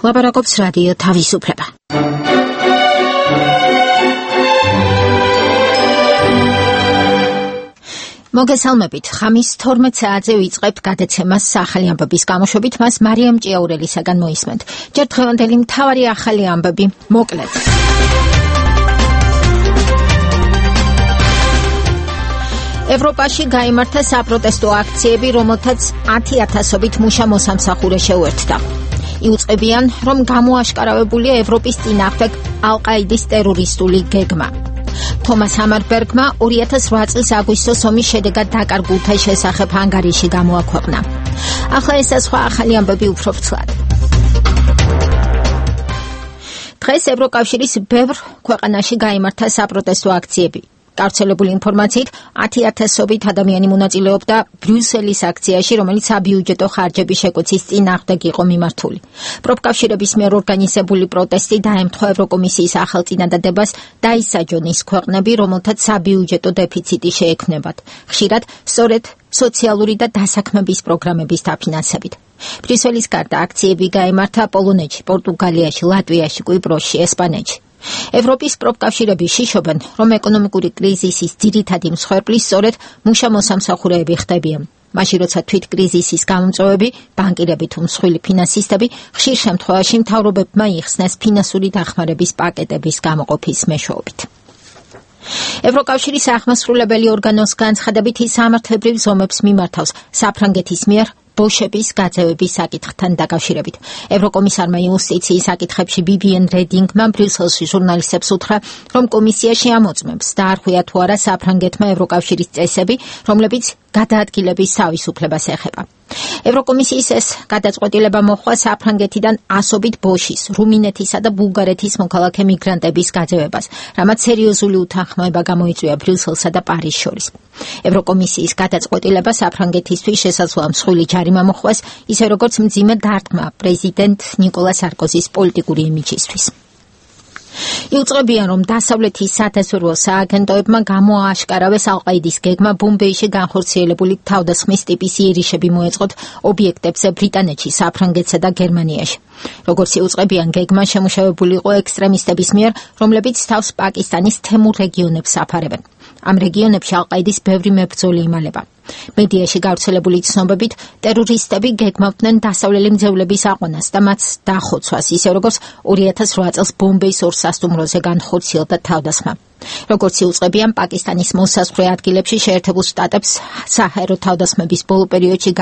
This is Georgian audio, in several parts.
ლაპარაკობს რადიო თავისუფლება. მოგესალმებით. ხამის 12 საათზე ვიწყებთ გადაცემას ახალი ამბების გამოშვებით, მას მარიამ ჭიაურელისაგან მოისმენთ. ჯერ დღევანდელი მთავარი ახალი ამბები მოკლედ. ევროპაში გაიმართა საპროტესტო აქციები, რომელთაც 10,000-ობით მუშა მოსამსახურე შეუერთდა. იუწყებიან, რომ გამოაშკარავებულია ევროპის წინააღმდეგ ალ-ყაიდის ტერორისტული გეგმა. თომას ჰამარბერგმა 2008 წლის აგვისტოს ომის შედეგად დაკარგულთა შესახებ ჰანგარიაში გამოაქვეყნა. ახლა ეს სხვა ახალი ამბები უფრო ფრთლად. დღეს ევროკავშირის ბევრ ქვეყანაში გაიმართა საპროტესტო აქციები. გავრცელებული ინფორმაციით 10,000-ობით ადამიანი მონაწილეობდა ბრიუსელის აქციაში, რომელიც საბიუჯეტო ხარჯების შეკვეცის წინააღმდეგ იყო მიმართული. პროფკავშირების მიერ ორგანიზებული პროტესტი დაემთხვა ევროკომისიის ახალ წინადადებას დაისაჯონ ის ქვეყნები, რომელთაც საბიუჯეტო დეფიციტი შეექმნებათ, ხშირად სწორედ სოციალური და დასაქმების პროგრამების დაფინანსებით. ბრიუსელის გარდა აქციები გაიმართა პოლონეთში, პორტუგალიაში, ლატვიაში, კვიპროსში, ესპანეთში. ევროპის პროფკავშირები შიშობენ, რომ ეკონომიკური კრიზისის ძირითადი მსხვერპლი სწორედ მუშა მოსამსახურეები ხდებიან. მაშინ როცა თვით კრიზისის გამომწვევები, ბანკირები თუ მსხვილი ფინანსისტები ხშირ შემთხვევაში მთავრობებმა იხსნეს ფინანსური დახმარების პაკეტების გამოყოფის მეშვეობით. ევროკავშირის აღმასრულებელი ორგანოს განცხადებით ის სამართლებრივ ზომებს მიმართავს საფრანგეთის მიერ ბოშების გაძევების საკითხთან დაკავშირებით. ევროკომისარმა იუსტიციის საკითხებში ვივიენ რედინგმა ბრიუსელში ჟურნალისტებს უთხრა, რომ კომისია შეამოწმებს დაარღვია თუ არა საფრანგეთმა ევროკავშირის წესები, რომლებიც გადაადგილების თავისუფლებას ეხება. ევროკომისიის ეს გადაწყვეტილება მოჰყვა საფრანგეთიდან 100-ობით ბოშის, რუმინეთისა და ბულგარეთის მოქალაქე მიგრანტების გაძევებას, რამაც სერიოზული უთანხმოება გამოიწვია ბრიუსელსა და პარიზს შორის. ევროკომისიის გადაწყვეტილება საფრანგეთისთვის შესაძლოა მსხვილი ჯარიმა მოჰყვას, ისე როგორც მძიმე დარტყმა პრეზიდენტ ნიკოლა სარკოზის პოლიტიკური იმიჯისთვის. იუწყებიან, რომ დასავლეთის სადაზვერვო სააგენტოებმა გამოააშკარავეს ალ-ყაიდის გეგმა ბომბეიში განხორციელებული თავდასხმის ტიპის იერიშები მოეწყოთ ობიექტებზე ბრიტანეთში, საფრანგეთსა და გერმანიაში. როგორც იუწყებიან, გეგმა შემუშავებული იყო ექსტრემისტების მიერ, რომლებიც თავს პაკისტანის თემურ რეგიონებს აფარებენ. ამ რეგიონებში ალ-ყაიდის ბევრი მებრძოლი იმალება. მედიაში გავრცელებული ცნობებით, ტერორისტები გეგმავდნენ დასავლელი მძევლების აყვანას და მათ დახოცვას, ისე როგორც 2008 წელს ბომბეის ორ სასტუმროზე განხორციელდა თავდასხმა. როგორც იუწყებიან, პაკისტანის მოსაზღვრე ადგილებში შეერთებულ შტატებს საჰაერო თავდასხმების ბოლო პერიოდში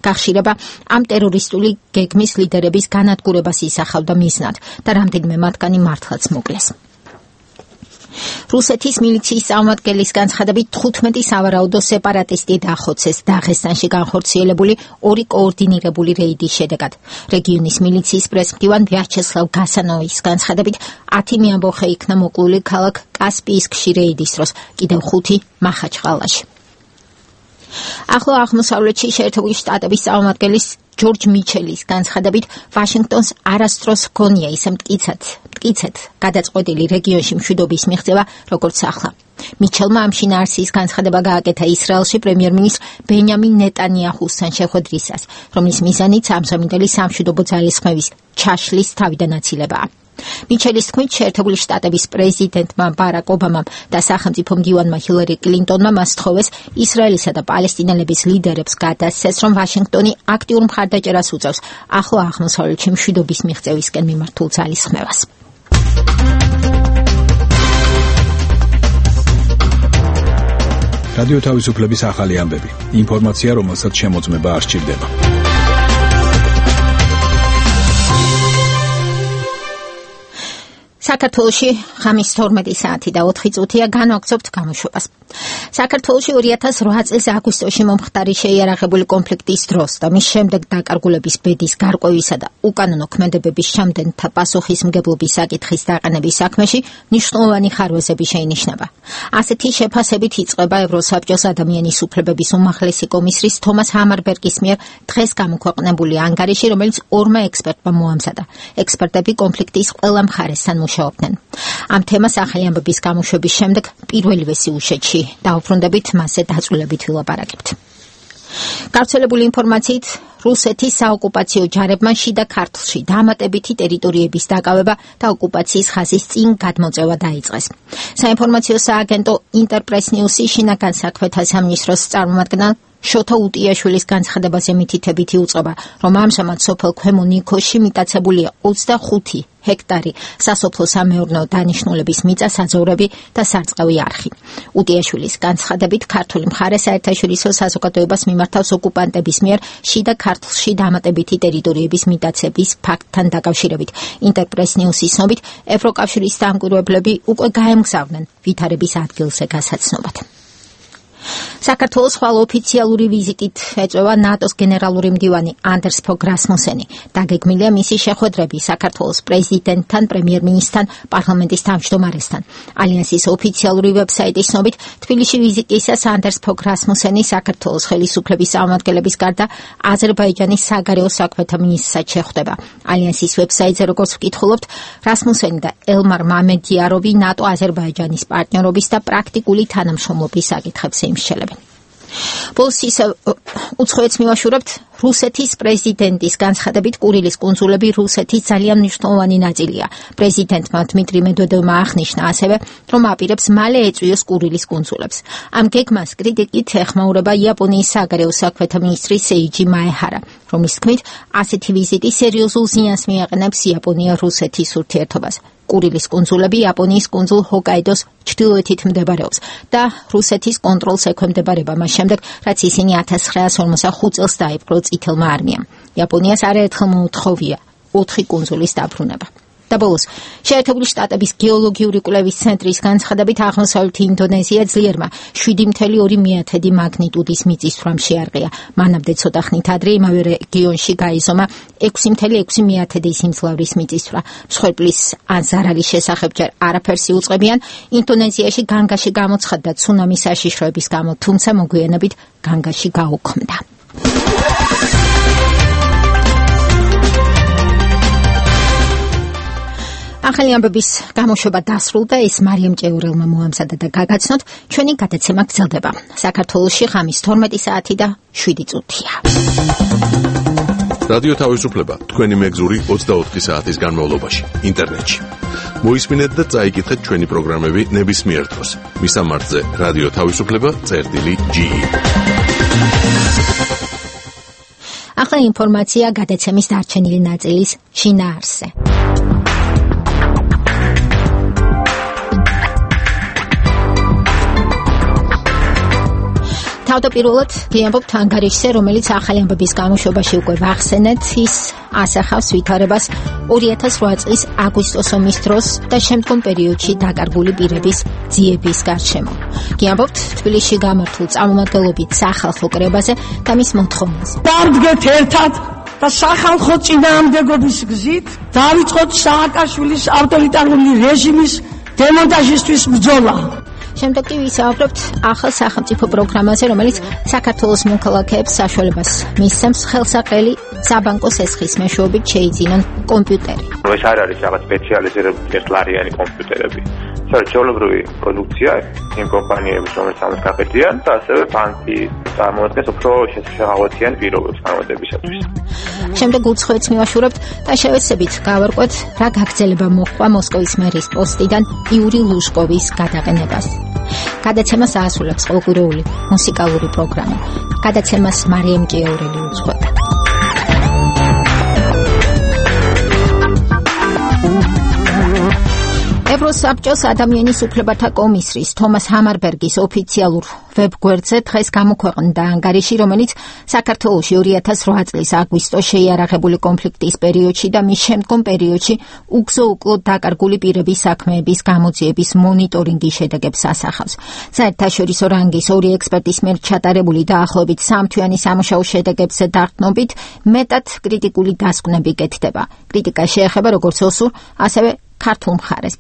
გახშირება ამ ტერორისტული გეგმის ლიდერების განადგურებას ისახავდა მიზნად და რამდენიმე მათგანი მართლაც მოკლეს. რუსეთის მილიციის წარმომადგენლის განცხადებით 15 სავარაუდო სეპარატისტი დახოცეს დაღესტანში განხორციელებული ორი კოორდინირებული რეიდის შედეგად. რეგიონის მილიციის პრესმდივან ვიაჩესლავ გასანოვის განცხადებით 10 მეამბოხე იქნა მოკლული ქალაქ კასპიისკში რეიდის დროს, კიდევ 5 მახაჩყალაში. ახლო აღმოსავლეთში შეერთებული შტატების წარმომადგენლის ჯორჯ მიჩელის განცხადებით ვაშინგტონს არასდროს ჰქონია ისე მტკიცედ გადაწყვეტილი რეგიონში მშვიდობის მიღწევა, როგორც ახლა. მიჩელმა ამ შინაარსის განცხადება გააკეთა ისრაელში პრემიერ-მინისტრ ბენიამინ ნეტანიაჰუსთან შეხვედრისას, რომლის მიზანიც ამჟამინდელი სამშვიდობო ძალისხმევის ჩაშლის თავიდან აცილებაა. მიჩელის თქმით, შეერთებული შტატების პრეზიდენტმა ბარაკ ობამამ და სახელმწიფო მდივანმა ჰილარი კლინტონმა მას თხოვეს ისრაელისა და პალესტინელების ლიდერებს გადასცეს, რომ ვაშინგტონი აქტიურ მხარდაჭერას უწევს ახლო აღმოსავლეთში მშვიდობის მიღწევისკენ მიმართულ ძალისხმევას. რადიო თავისუფლების ახალი ამბები. ინფორმაცია, რომელსაც შემოწმება არ სჭირდება. საქართველოში ხამის 12 საათი და 4 წუთია განვაგრძობთ გამოშვებას. საქართველოში 2008 წლის აგვისტოში მომხდარი შეიარაღებული კონფლიქტის დროს და მის შემდეგ დაკარგულების ბედის გარკვევისა და უკანონო ქმედებების შემდეგთა პასუხისმგებლობის საკითხის დაყენების საქმეში მნიშვნელოვანი ხარვეზები შეინიშნება. ასეთი შეფასებით იწყება ევროსაბჭოს ადამიანის უფლებების უმაღლესი კომისრის თომას ჰამარბერგის მიერ დღეს გამოქვეყნებული ანგარიში, რომელიც ორმა ექსპერტმა მოამზადა. ექსპერტები კონფლიქტის ყველა მხარესთან მუშაობდნენ. ამ თემას ახალი ამბების გამოშვების შემდეგ პირველივე სიუჟეტში დავუბრუნდებით მასზე დაწვრილებით ვილაპარაკებთ. გავრცელებული ინფორმაციით რუსეთის საოკუპაციო ჯარებმა შიდა ქართლში დამატებითი ტერიტორიების დაკავება და ოკუპაციის ხაზის წინ გადმოწევა დაიწყეს. საინფორმაციო სააგენტო ინტერპრეს ნიუსი შინაგან საქმეთა სამინისტროს წარმომადგენელ შოთა უტიაშვილის განცხადებაზე მითითებითი უწყება, რომ ამჟამად სოფელ ქვემო ნიქოში მიტაცებულია 25 ჰექტარი სასოფლო-სამეურნეო დანიშნულების მიწა-საძოვრები და სარწყავი არხი. უტიაშვილის განცხადებით ქართული მხარე საერთაშორისო საზოგადოებას მიმართავს ოკუპანტების მიერ შიდა ქართლში დამატებითი ტერიტორიების მიტაცების ფაქტთან დაკავშირებით. ინტერპრეს ნიუსის ცნობით, ევროკავშირის დამკვირვებლები უკვე გაემგზავრნენ ვითარების ადგილზე გასაცნობად. საქართველოს ხვალ ოფიციალური ვიზიტით ეწევა ნატოს გენერალური მდივანი ანდერს ფოგ რასმუსენი. დაგეგმილია მისი შეხვედრები საქართველოს პრეზიდენტთან, პრემიერ-მინისტრთან, პარლამენტის თავმჯდომარესთან. ალიანსის ოფიციალური ვებსაიტის ცნობით, თბილისში ვიზიტისას ანდერს ფოგ რასმუსენი საქართველოს ხელისუფლების წარმომადგენლების გარდა აზერბაიჯანის საგარეო საქმეთა მინისტრსაც შეხვდება. ალიანსის ვებსაიტზე როგორც ვკითხულობთ, რასმუსენი და ელმარ მამედიაროვი ნატო აზერბაიჯანის პარტნიორობის და პრაქტიკული თანამშრომლობის საკითხებს ემსჯელებენ. ბოლოს ისევ უცხოეთს მივაშურებთ რუსეთის პრეზიდენტის განცხადებით კურილის კუნძულები რუსეთის ძალიან მნიშვნელოვანი ნაწილია. პრეზიდენტმა დმიტრი მედვედევმა აღნიშნა ასევე, რომ აპირებს მალე ეწვიოს კურილის კუნძულებს. ამ გეგმას კრიტიკით ეხმაურება იაპონიის საგარეო საქმეთა მინისტრი სეიჯი მაეჰარა, რომლის თქმით, ასეთი ვიზიტი სერიოზულ ზიანს მიაყენებს იაპონია-რუსეთის ურთიერთობას. კურილის კუნძულები იაპონიის კუნძულ ჰოკაიდოს ჩრდილოეთით მდებარეობს და რუსეთის კონტროლს ექვემდებარება მას შემდეგ, რაც ისინი 1945 წელს დაიპყრო წითელმა არმიამ. იაპონიას არაერთხელ მოუთხოვია 4 კუნძულის დაბრუნება. და ბოლოს, შეერთებული შტატების გეოლოგიური კვლევის ცენტრის განცხადებით აღმოსავლეთი ინდონეზია ძლიერმა 7.2 მაგნიტუდის მიწისძვრამ შეარყია. მანამდე ცოტა ხნით ადრე იმავე რეგიონში გაიზომა 6.6 სიმძლავრის მიწისძვრა. მსხვერპლის ან ზარალის შესახებ ჯერ არაფერს იუწყებიან. ინდონეზიაში განგაში გამოცხადდა ცუნამის საშიშროების გამო, თუმცა მოგვიანებით განგაში გაუქმდა. ახალი ამბების გამოშვება დასრულდა, ეს მარიამ ჭეურელმა მოამზადა და გაგაცნოთ, ჩვენი გადაცემა გრძელდება. საქართველოში ღამის 12 საათი და 7 წუთია. რადიო თავისუფლება თქვენი მეგზური 24 საათის განმავლობაში ინტერნეტში. მოისმინეთ და წაიკითხეთ ჩვენი პროგრამები ნებისმიერ დროს. მისამართზე რადიო თავისუფლება.ge. ახლა ინფორმაცია გადაცემის დარჩენილი ნაწილის შინაარსზე. თავდაპირველად ვიამბობთ ანგარიშზე, რომელიც ახალი ამბების გამოშვებაში უკვე ვახსენეთ, ის ასახავს ვითარებას 2008 წლის აგვისტოს ომის დროს და შემდგომ პერიოდში დაკარგული პირების ძიების გარშემო. ვიამბობთ თბილისში გამართულ წარმომადგენლობით სახალხო კრებაზე და მის მოთხოვნაზე. დავდგეთ ერთად და სახალხო წინააღმდეგობის გზით დავიწყოთ სააკაშვილის ავტორიტარული რეჟიმის დემონტაჟისთვის ბრძოლა. შემდეგ კი ვისაუბრებთ ახალ სახელმწიფო პროგრამაზე, რომელიც საქართველოს მოქალაქეებს საშუალებას მისცემს ხელსაყრელი საბანკო სესხის მეშვეობით შეიძინონ კომპიუტერი. ეს არ არის რაღაც სპეციალიზირებული ერთლარიანი კომპიუტერები. ეს ჩვეულებრივი პროდუქცია იმ კომპანიების, რომელიც ამას გაკეთებიან და ასევე ბანკი წარმოადგენს უფრო შეღავათიან პირობებს განმარტებისათვის. შემდეგ უცხოეთს მივაშურებთ და შევეცდებით გავარკვეთ, რა გაგრძელება მოჰყვა მოსკოვის მერის პოსტიდან იური ლუშკოვის გადაყენებას. გადაცემას აასრულებს ყოველკვირეული მუსიკალური პროგრამა. გადაცემას მარიამ ჭეურელი უძღვება. ევროსაბჭოს ადამიანის უფლებათა კომისრის თომას ჰამარბერგის ოფიციალურ ვებგვერდზე დღეს გამოქვეყნდა ანგარიში, რომელიც საქართველოში 2008 წლის აგვისტოს შეიარაღებული კონფლიქტის პერიოდში და მის შემდგომ პერიოდში უგზო-უკლოდ დაკარგული პირების საქმეების გამოძიების მონიტორინგის შედეგებს ასახავს. საერთაშორისო რანგის 2 ექსპერტის მიერ ჩატარებული დაახლოებით 3 თვიანი სამუშაო შედეგებზე დაყრდნობით მეტად კრიტიკული დასკვნები გეთდება. კრიტიკა შეეხება როგორც ოსურ, ასევე ქართულ მხარეს.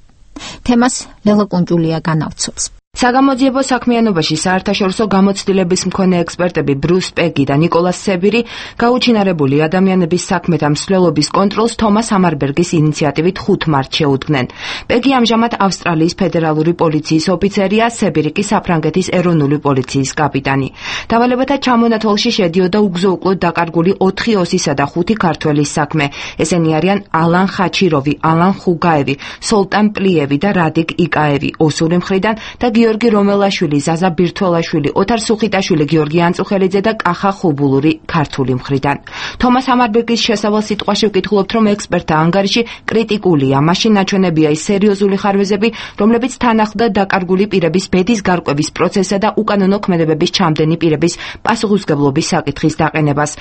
თემას ლელა კუნჯულია განავრცობს. საგამოძიებო საქმიანობაში საერთაშორისო გამოცდილების მქონე ექსპერტები ბრუს პეგი და ნიკოლას სებირი გაუჩინარებული ადამიანების საქმეთა მსვლელობის კონტროლს თომას ჰამარბერგის ინიციატივით 5 მარტს შეუდგნენ. პეგი ამჟამად ავსტრალიის ფედერალური პოლიციის ოფიცერია, სებირი კი საფრანგეთის ეროვნული პოლიციის კაპიტანი. დავალებათა ჩამონათვალში შედიოდა უგზო-უკლოდ დაკარგული 4 ოსისა და 5 ქართველის საქმე. ესენი არიან ალან ხაჩიროვი, ალან ხუგაევი, სოლტან პლიევი და რადიკ იკაევი ოსური მხრიდან და გიორგი რომელაშვილი, ზაზა ბირთველაშვილი, ოთარ სუხიტაშვილი, გიორგი ანწუხელიძე და კახა ხუბულური ქართული მხრიდან. თომას ჰამარბერგის შესავალ სიტყვაში ვკითხულობთ, რომ ექსპერტთა ანგარიში კრიტიკულია, მაშინ ნაჩვენებია ის სერიოზული ხარვეზები, რომლებიც თან ახლდა დაკარგული პირების ბედის გარკვევის პროცესსა და უკანონო ქმედებების ჩამდენი პირების პასუხისმგებლობის საკითხის დაყენებას.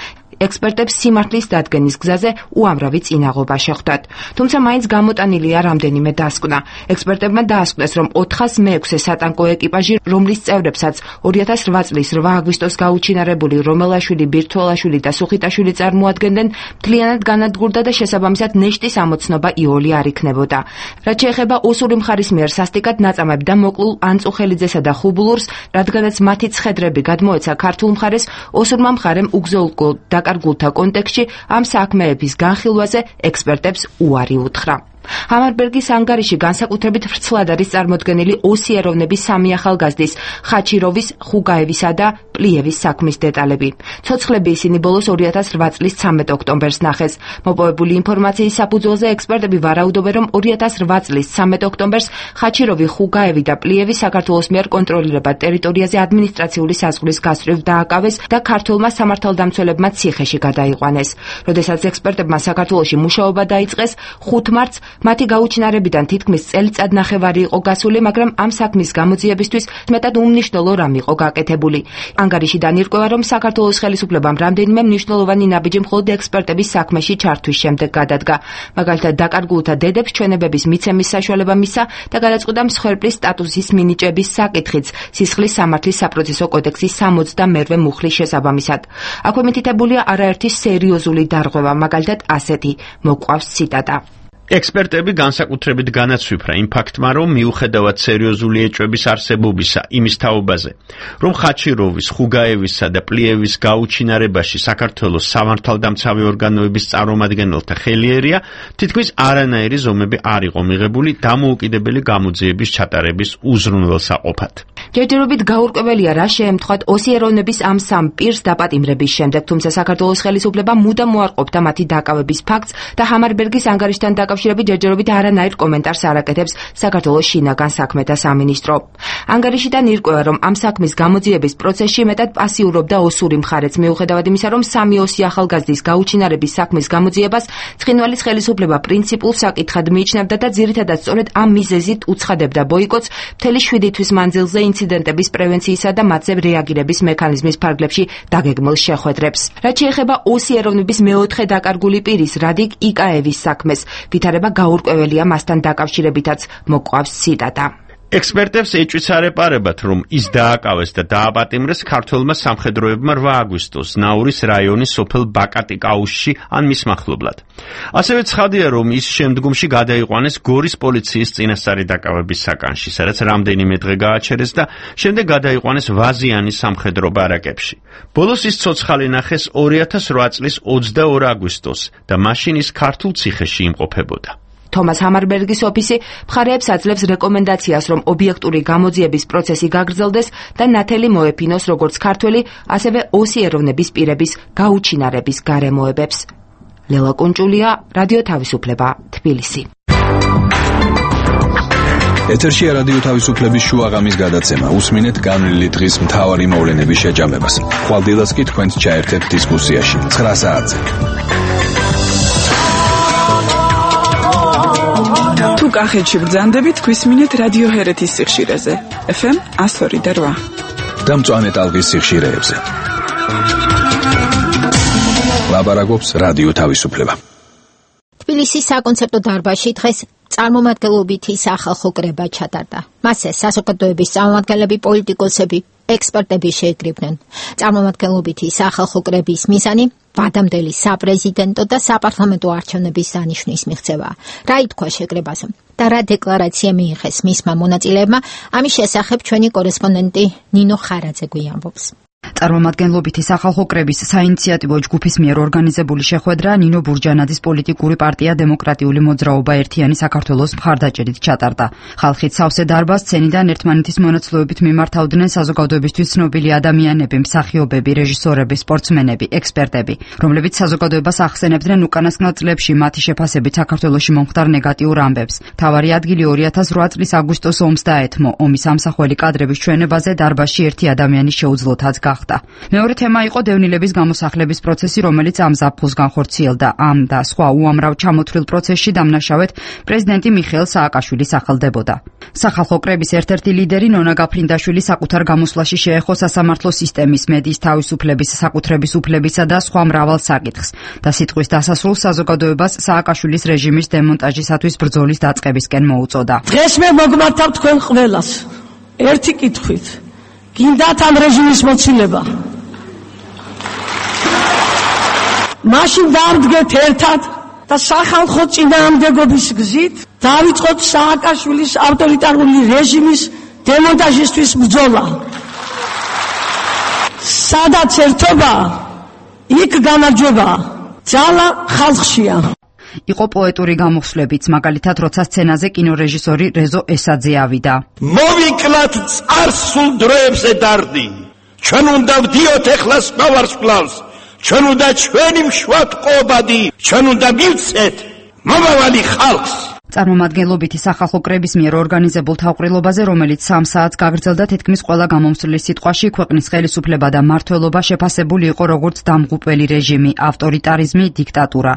ექსპერტებს სიმართლის დადგენის გზაზე უამრავი წინაღობა შეხვდათ. თუმცა მაინც გამოტანილია რამდენიმე დასკვნა. ექსპერტებმა დაასკვნეს, რომ 406-ე სატანკო ეკიპაჟი, რომლის წევრებსაც 2008 წლის 8 აგვისტოს გაუჩინარებული რომელაშვილი, ბირთველაშვილი და სუხიტაშვილი წარმოადგენდნენ, მთლიანად განადგურდა და შესაბამისად ნეშტის ამოცნობა იოლი არ იქნებოდა. რაც შეეხება ოსური მხარის მიერ სასტიკად ნაწამებ და მოკლულ ანწუხელიძესა და ხუბულურს, რადგანაც მათი ცხედრები გადმოეცა ქართულ მხარეს, ოსურმა მხარემ უგზო-უკლოდ დაკარგულთა კონტექსტში ამ საქმეების განხილვაზე ექსპერტებს უარი უთხრა. ჰამარბერგის ანგარიში განსაკუთრებით ვრცლად არის წარმოდგენილი ოსი ეროვნების 3 ახალგაზრდის ხაჩიროვის, ხუგაევისა და პლიევის საქმის დეტალები. ცოცხლები ისინი ბოლოს 2008 წლის 13 ოქტომბერს ნახეს. მოპოვებული ინფორმაციის საფუძველზე ექსპერტები ვარაუდობენ, რომ 2008 წლის 13 ოქტომბერს ხაჩიროვი, ხუგაევი და პლიევი საქართველოს მიერ კონტროლირებად ტერიტორიაზე ადმინისტრაციული საზღვრის გასწვრივ დააკავეს და ქართველმა სამართალდამცველებმა ციხეში გადაიყვანეს. როდესაც ექსპერტებმა საქართველოში მუშაობა დაიწყეს, 5 მარტს მათი გაუჩინარებიდან თითქმის წელიწადნახევარი იყო გასული, მაგრამ ამ საქმის გამოძიებისთვის მეტად უმნიშვნელო რამ იყო გაკეთებული. ანგარიშიდან ირკვევა, რომ საქართველოს ხელისუფლებამ რამდენიმე მნიშვნელოვანი ნაბიჯი მხოლოდ ექსპერტების საქმეში ჩართვის შემდეგ გადადგა. მაგალითად, დაკარგულთა დედებს ჩვენებების მიცემის საშუალება მისცა და გადაწყვიტა მსხვერპლის სტატუსის მინიჭების საკითხიც სისხლის სამართლის საპროცესო კოდექსის 62-მე მუხლის შესაბამისად. აქვე მითითებულია არაერთი სერიოზული დარღვევა, მაგალითად ასეთი მოყვავს ციტატა. ექსპერტები განსაკუთრებით განაცვიფრა იმ ფაქტმა, რომ მიუხედავად სერიოზული ეჭვების არსებობისა იმის თაობაზე, რომ ხაჩიროვის, ხუგაევისა და პლიევის გაუჩინარებაში საქართველოს სამართალდამცავი ორგანოების წარმომადგენელთა ხელი ერია, თითქმის არანაირი ზომები არ იყო მიღებული დამოუკიდებელი გამოძიების ჩატარების უზრუნველსაყოფად. ჯერჯერობით გაურკვეველია, რა შეემთხვათ ოსი ეროვნების ამ 3 პირს დაპატიმრების შემდეგ, თუმცა საქართველოს ხელისუფლება მუდამ უარყოფდა მათი დაკავების ფაქტს და ჰამარბერგის ანგარიშთან დაკავშირებით ჯერჯერობით არანაირ კომენტარს არ აკეთებს საქართველოს შინაგან საქმეთა სამინისტრო. ანგარიშიდან ირკვევა, რომ ამ საქმის გამოძიების პროცესში მეტად პასიურობდა ოსური მხარეც, მიუხედავად იმისა, რომ 3 ოსი ახალგაზრდის გაუჩინარების საქმის გამოძიებას ცხინვალის ხელისუფლება პრინციპულ საკითხად მიიჩნევდა და ძირითადად სწორედ ამ მიზეზით უცხადებდა ბოიკოტს მთელი 7 თვის მანძილზე ინციდენტების პრევენციისა და მათზე რეაგირების მექანიზმის ფარგლებში დაგეგმილ შეხვედრებს. რაც შეეხება ოსი ეროვნების მეოთხე დაკარგული პირის რადიკ იკაევის საქმეს, ვითარება გაურკვეველია მასთან დაკავშირებითაც მოყვავს ციტატა. ექსპერტებს ეჭვიც არ ეპარებათ, რომ ის დააკავეს და დააპატიმრეს ქართველმა სამხედროებმა 8 აგვისტოს ნაურის რაიონის სოფელ ბაკატიკაუსში ან მის მახლობლად. ასევე ცხადია, რომ ის შემდგომში გადაიყვანეს გორის პოლიციის წინასწარი დაკავების საკანში, სადაც რამდენიმე დღე გააჩერეს და შემდეგ გადაიყვანეს ვაზიანის სამხედრო ბარაკებში. ბოლოს ის ცოცხალი ნახეს 2008 წლის 22 აგვისტოს და მაშინ ის ქართულ ციხეში იმყოფებოდა. თომას ჰამარბერგის ოფისი მხარეებს აძლევს რეკომენდაციას, რომ ობიექტური გამოძიების პროცესი გაგრძელდეს და ნათელი მოეფინოს როგორც ქართველი, ასევე ოსი ეროვნების პირების გაუჩინარების გარემოებებს. ლელა კუნჭულია, რადიო თავისუფლება, თბილისი. ეთერშია რადიო თავისუფლების შუაღამის გადაცემა. უსმინეთ განვლილი დღის მთავარი მოვლენების შეჯამებას. ხვალდილას კი თქვენს ჩაერთებთ დისკუსიაში 9 საათზე. თუ კახეთში ბრძანდებით, გვისმინეთ რადიო ჰერეთის სიხშირეზე. FM 102.8 და მწვანე ტალღის სიხშირეებზე. ლაბარაკობს რადიო თავისუფლება. თბილისის საკონცერტო დარბაზში დღეს წარმომადგენლობითი სახალხო კრება ჩატარდა. მასზე საზოგადოების წარმომადგენლები, პოლიტიკოსები, ექსპერტები შეიკრიბნენ. წარმომადგენლობითი სახალხო კრების მიზანი ვადამდელი საპრეზიდენტო და საპარლამენტო არჩევნების დანიშვნის მიღწევა. რა ითქვა შეკრებაზე და რა დეკლარაცია მიიღეს მისმა მონაწილეებმა, ამის შესახებ ჩვენი კორესპონდენტი ნინო ხარაძე გვიამბობს. წარმომადგენლობითი სახალხო კრების საინიციატივო ჯგუფის მიერ ორგანიზებული შეხვედრა ნინო ბურჯანაძის პოლიტიკური პარტია დემოკრატიული მოძრაობა ერთიანი საქართველოს მხარდაჭერით ჩატარდა. ხალხით სავსე დარბაზ სცენიდან ერთმანეთის მონაცვლეობით მიმართავდნენ საზოგადოებისთვის ცნობილი ადამიანები, მსახიობები, რეჟისორები, სპორტსმენები, ექსპერტები, რომლებიც საზოგადოებას ახსენებდნენ უკანასკნელ წლებში მათი შეფასებით საქართველოში მომხდარ ნეგატიურ ამბებს. მთავარი ადგილი 2008 წლის აგვისტოს ომს დაეთმო. ომის ამსახველი კადრების ჩვენებაზე დარბაზში ერთი ადამიანის შეუძლოთაც გახდა. მეორე თემა იყო დევნილების გამოსახლების პროცესი, რომელიც ამ ზაფხულს განხორციელდა. ამ და სხვა უამრავ ჩამოთვლილ პროცესში დამნაშავედ პრეზიდენტი მიხეილ სააკაშვილი სახელდებოდა. სახალხო კრების ერთ-ერთი ლიდერი ნონა გაფრინდაშვილი საკუთარ გამოსვლაში შეეხო სასამართლო სისტემის, მედიის თავისუფლების, საკუთრების უფლებისა და სხვა მრავალ საკითხს და სიტყვის დასასრულს საზოგადოებას სააკაშვილის რეჟიმის დემონტაჟისათვის ბრძოლის დაწყებისკენ მოუწოდა. დღეს მე მოგმართავ თქვენ ყველას ერთი კითხვით. გინდათ ამ რეჟიმის მოცილება? მაშინ დავდგეთ ერთად და სახალხო წინააღმდეგობის გზით დავიწყოთ სააკაშვილის ავტორიტარული რეჟიმის დემონტაჟისთვის ბრძოლა. სადაც ერთობა, იქ გამარჯვება. ძალა ხალხშია. იყო პოეტური გამოსვლებიც, მაგალითად, როცა სცენაზე კინორეჟისორი რეზო ესაძე ავიდა. მოვიკლათ წარსულ დროებზე დარდი. ჩვენ უნდა ვდიოთ ეხლა სხვა ვარსკვლავს. ჩვენ უნდა ჩვენი მშვად ყობადი. ჩვენ უნდა მივცეთ მომავალი ხალხს. წარმომადგენლობითი სახალხო კრების მიერ ორგანიზებულ თავყრილობაზე, რომელიც 3 საათს გაგრძელდა, თითქმის ყველა გამომცვლის სიტყვაში ქვეყნის ხელისუფლება და მმართველობა შეფასებული იყო როგორც დამღუპველი რეჟიმი, ავტორიტარიზმი, დიქტატურა.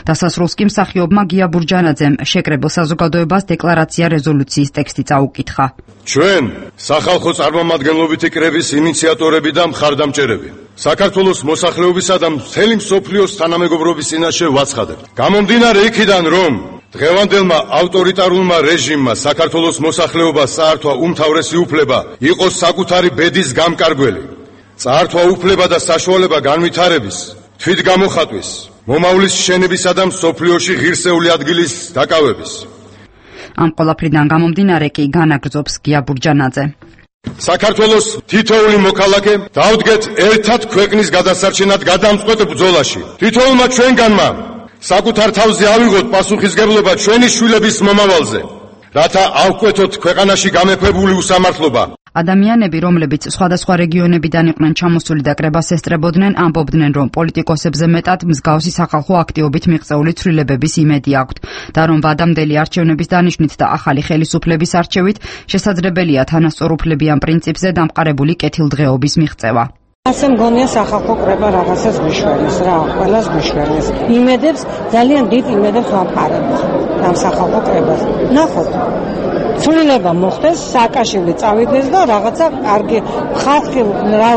დასასრულს კი მსახიობმა გია ბურჯანაძემ შეკრებილ საზოგადოებას დეკლარაცია რეზოლუციის ტექსტი წაუკითხა. ჩვენ, სახალხო წარმომადგენლობითი კრების ინიციატორები და მხარდამჭერები, საქართველოს მოსახლეობისა და მთელი მსოფლიოს თანამეგობრობის წინაშე ვაცხადებთ. გამომდინარე იქიდან, რომ დღევანდელმა ავტორიტარულმა რეჟიმმა საქართველოს მოსახლეობას წაართვა უმთავრესი უფლება იყოს საკუთარი ბედის გამკარგველი. წაართვა უფლება და საშუალება განვითარების, თვითგამოხატვის, მომავლის შენებისა და მსოფლიოში ღირსეული ადგილის დაკავების. ამ ყველაფრიდან გამომდინარე კი განაგრძობს გია ბურჯანაძე. საქართველოს თითოეული მოქალაქე დავდგეთ ერთად ქვეყნის გადასარჩენად გადამწყვეტ ბრძოლაში. თითოეულმა ჩვენგანმა საკუთარ თავზე ავიღოთ პასუხისგებლობა ჩვენი შვილების მომავალზე, რათა ავკვეთოთ ქვეყანაში გამეფებული უსამართლობა. ადამიანები, რომლებიც სხვადასხვა რეგიონებიდან იყვნენ ჩამოსული და კრებას ესწრებოდნენ, ამბობდნენ, რომ პოლიტიკოსებზე მეტად მსგავსი სახალხო აქტივობით მიღწეული ცვლილებების იმედი აქვთ და რომ ვადამდელი არჩევნების დანიშვნით და ახალი ხელისუფლების არჩევით შესაძლებელია თანასწორუფლებიან პრინციპზე დამყარებული კეთილდღეობის მიღწევა. ასე მგონია სახალხო კრება რაღაცას გვიშვენეს რა, ყველას გვიშვენეს. იმედებს, ძალიან დიდ იმედებს ვამყარებთ ამ სახალხო კრებას. ნახოთ. ცვლილება მოხდეს, სააკაშვილი წავიდეს და რაღაცა კარგი ხალხი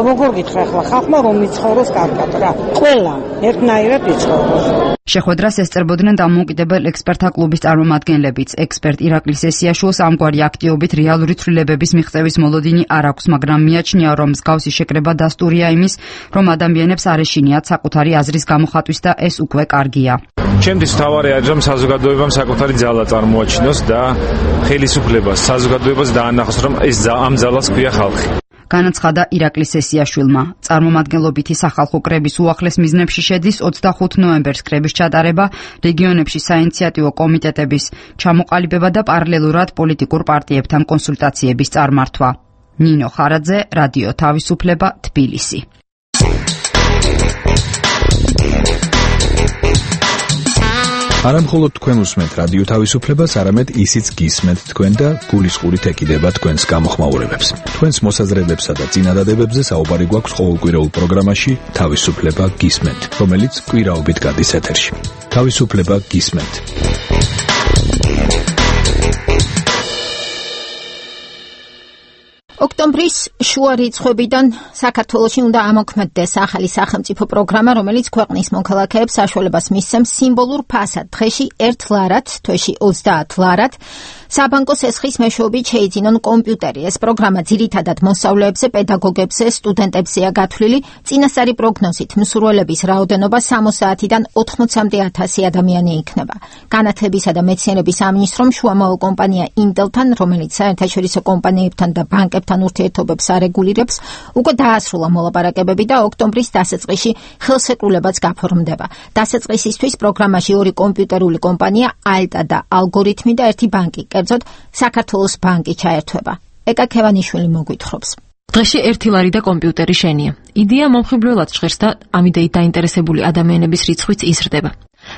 როგორ გითხრა ახლა ხალხმა რომ იცხოვროს კარგად რა. ყველა ერთნაირად იცხოვროს. შეხვედრას ესწრებოდნენ დამოუკიდებელ ექსპერტთა კლუბის წარმომადგენლებიც. ექსპერტ ირაკლი სესიაშვილს ამგვარი აქტივობით რეალური ცვლილებების მიღწევის მოლოდინი არ აქვს, მაგრამ მიაჩნია, რომ მსგავსი შეკრება დასტურია იმის, რომ ადამიანებს არ ეშინიათ საკუთარი აზრის გამოხატვის და ეს უკვე კარგია. ჩემთვის მთავარი არის, რომ საზოგადოებამ საკუთარი ძალა წარმოაჩინოს და ხელისუფლებას, საზოგადოებას დაანახოს, რომ ეს ამ ძალას ქვია ხალხი. განაცხადა ირაკლი სესიაშვილმა. წარმომადგენლობითი სახალხო კრების უახლეს მიზნებში შედის 25 ნოემბერს კრების ჩატარება, რეგიონებში საინიციატივო კომიტეტების ჩამოყალიბება და პარალელურად პოლიტიკურ პარტიებთან კონსულტაციების წარმართვა. ნინო ხარაძე, რადიო თავისუფლება, თბილისი. არამხოლოდ თქვენ უსმენთ რადიო თავისუფლებას, არამედ ისიც გისმენთ თქვენ და გულისყურით ეკიდება თქვენს გამოხმაურებებს. თქვენს მოსაზრებებსა და წინადადებებზე საუბარი გვაქვს ყოველკვირეულ პროგრამაში თავისუფლება გისმენთ, რომელიც კვირაობით გადის ეთერში. თავისუფლება გისმენთ. ოქტომბრის შუა რიცხვებიდან საქართველოში უნდა ამოქმედდეს ახალი სახელმწიფო პროგრამა, რომელიც ქვეყნის მოქალაქეებს საშუალებას მისცემს სიმბოლურ ფასად დღეში 1 ლარად, თვეში 30 ლარად საბანკო სესხის მეშვეობით შეიძინონ კომპიუტერი. ეს პროგრამა ძირითადად მოსწავლეებზე, პედაგოგებზე, სტუდენტებზეა გათვლილი. წინასწარი პროგნოზით მსურველების რაოდენობა 60-დან 80-მდე 1000 ადამიანი იქნება. განათლებისა და მეცნიერების სამინისტრომ შუამავე კომპანია Intel-თან, რომელიც საერთაშორისო კომპანიებთან და ბანკებთან ურთიერთობებს არეგულირებს, უკვე დაასრულა მოლაპარაკებები და ოქტომბრის დასაწყისში ხელშეკრულებაც გაფორმდება. დასაწყისისთვის პროგრამაში 2 კომპიუტერული კომპანია, Alta და Algoritmi და 1 ბანკი, კერძოდ საქართველოს ბანკი ჩაერთვება. ეკა ქევანიშვილი მოგვითხრობს. დღეში 1 ლარი და კომპიუტერი შენია. იდეა მომხიბლელად ჟღერს და ამ იდეით დაინტერესებული ადამიანების რიცხვიც იზრდება.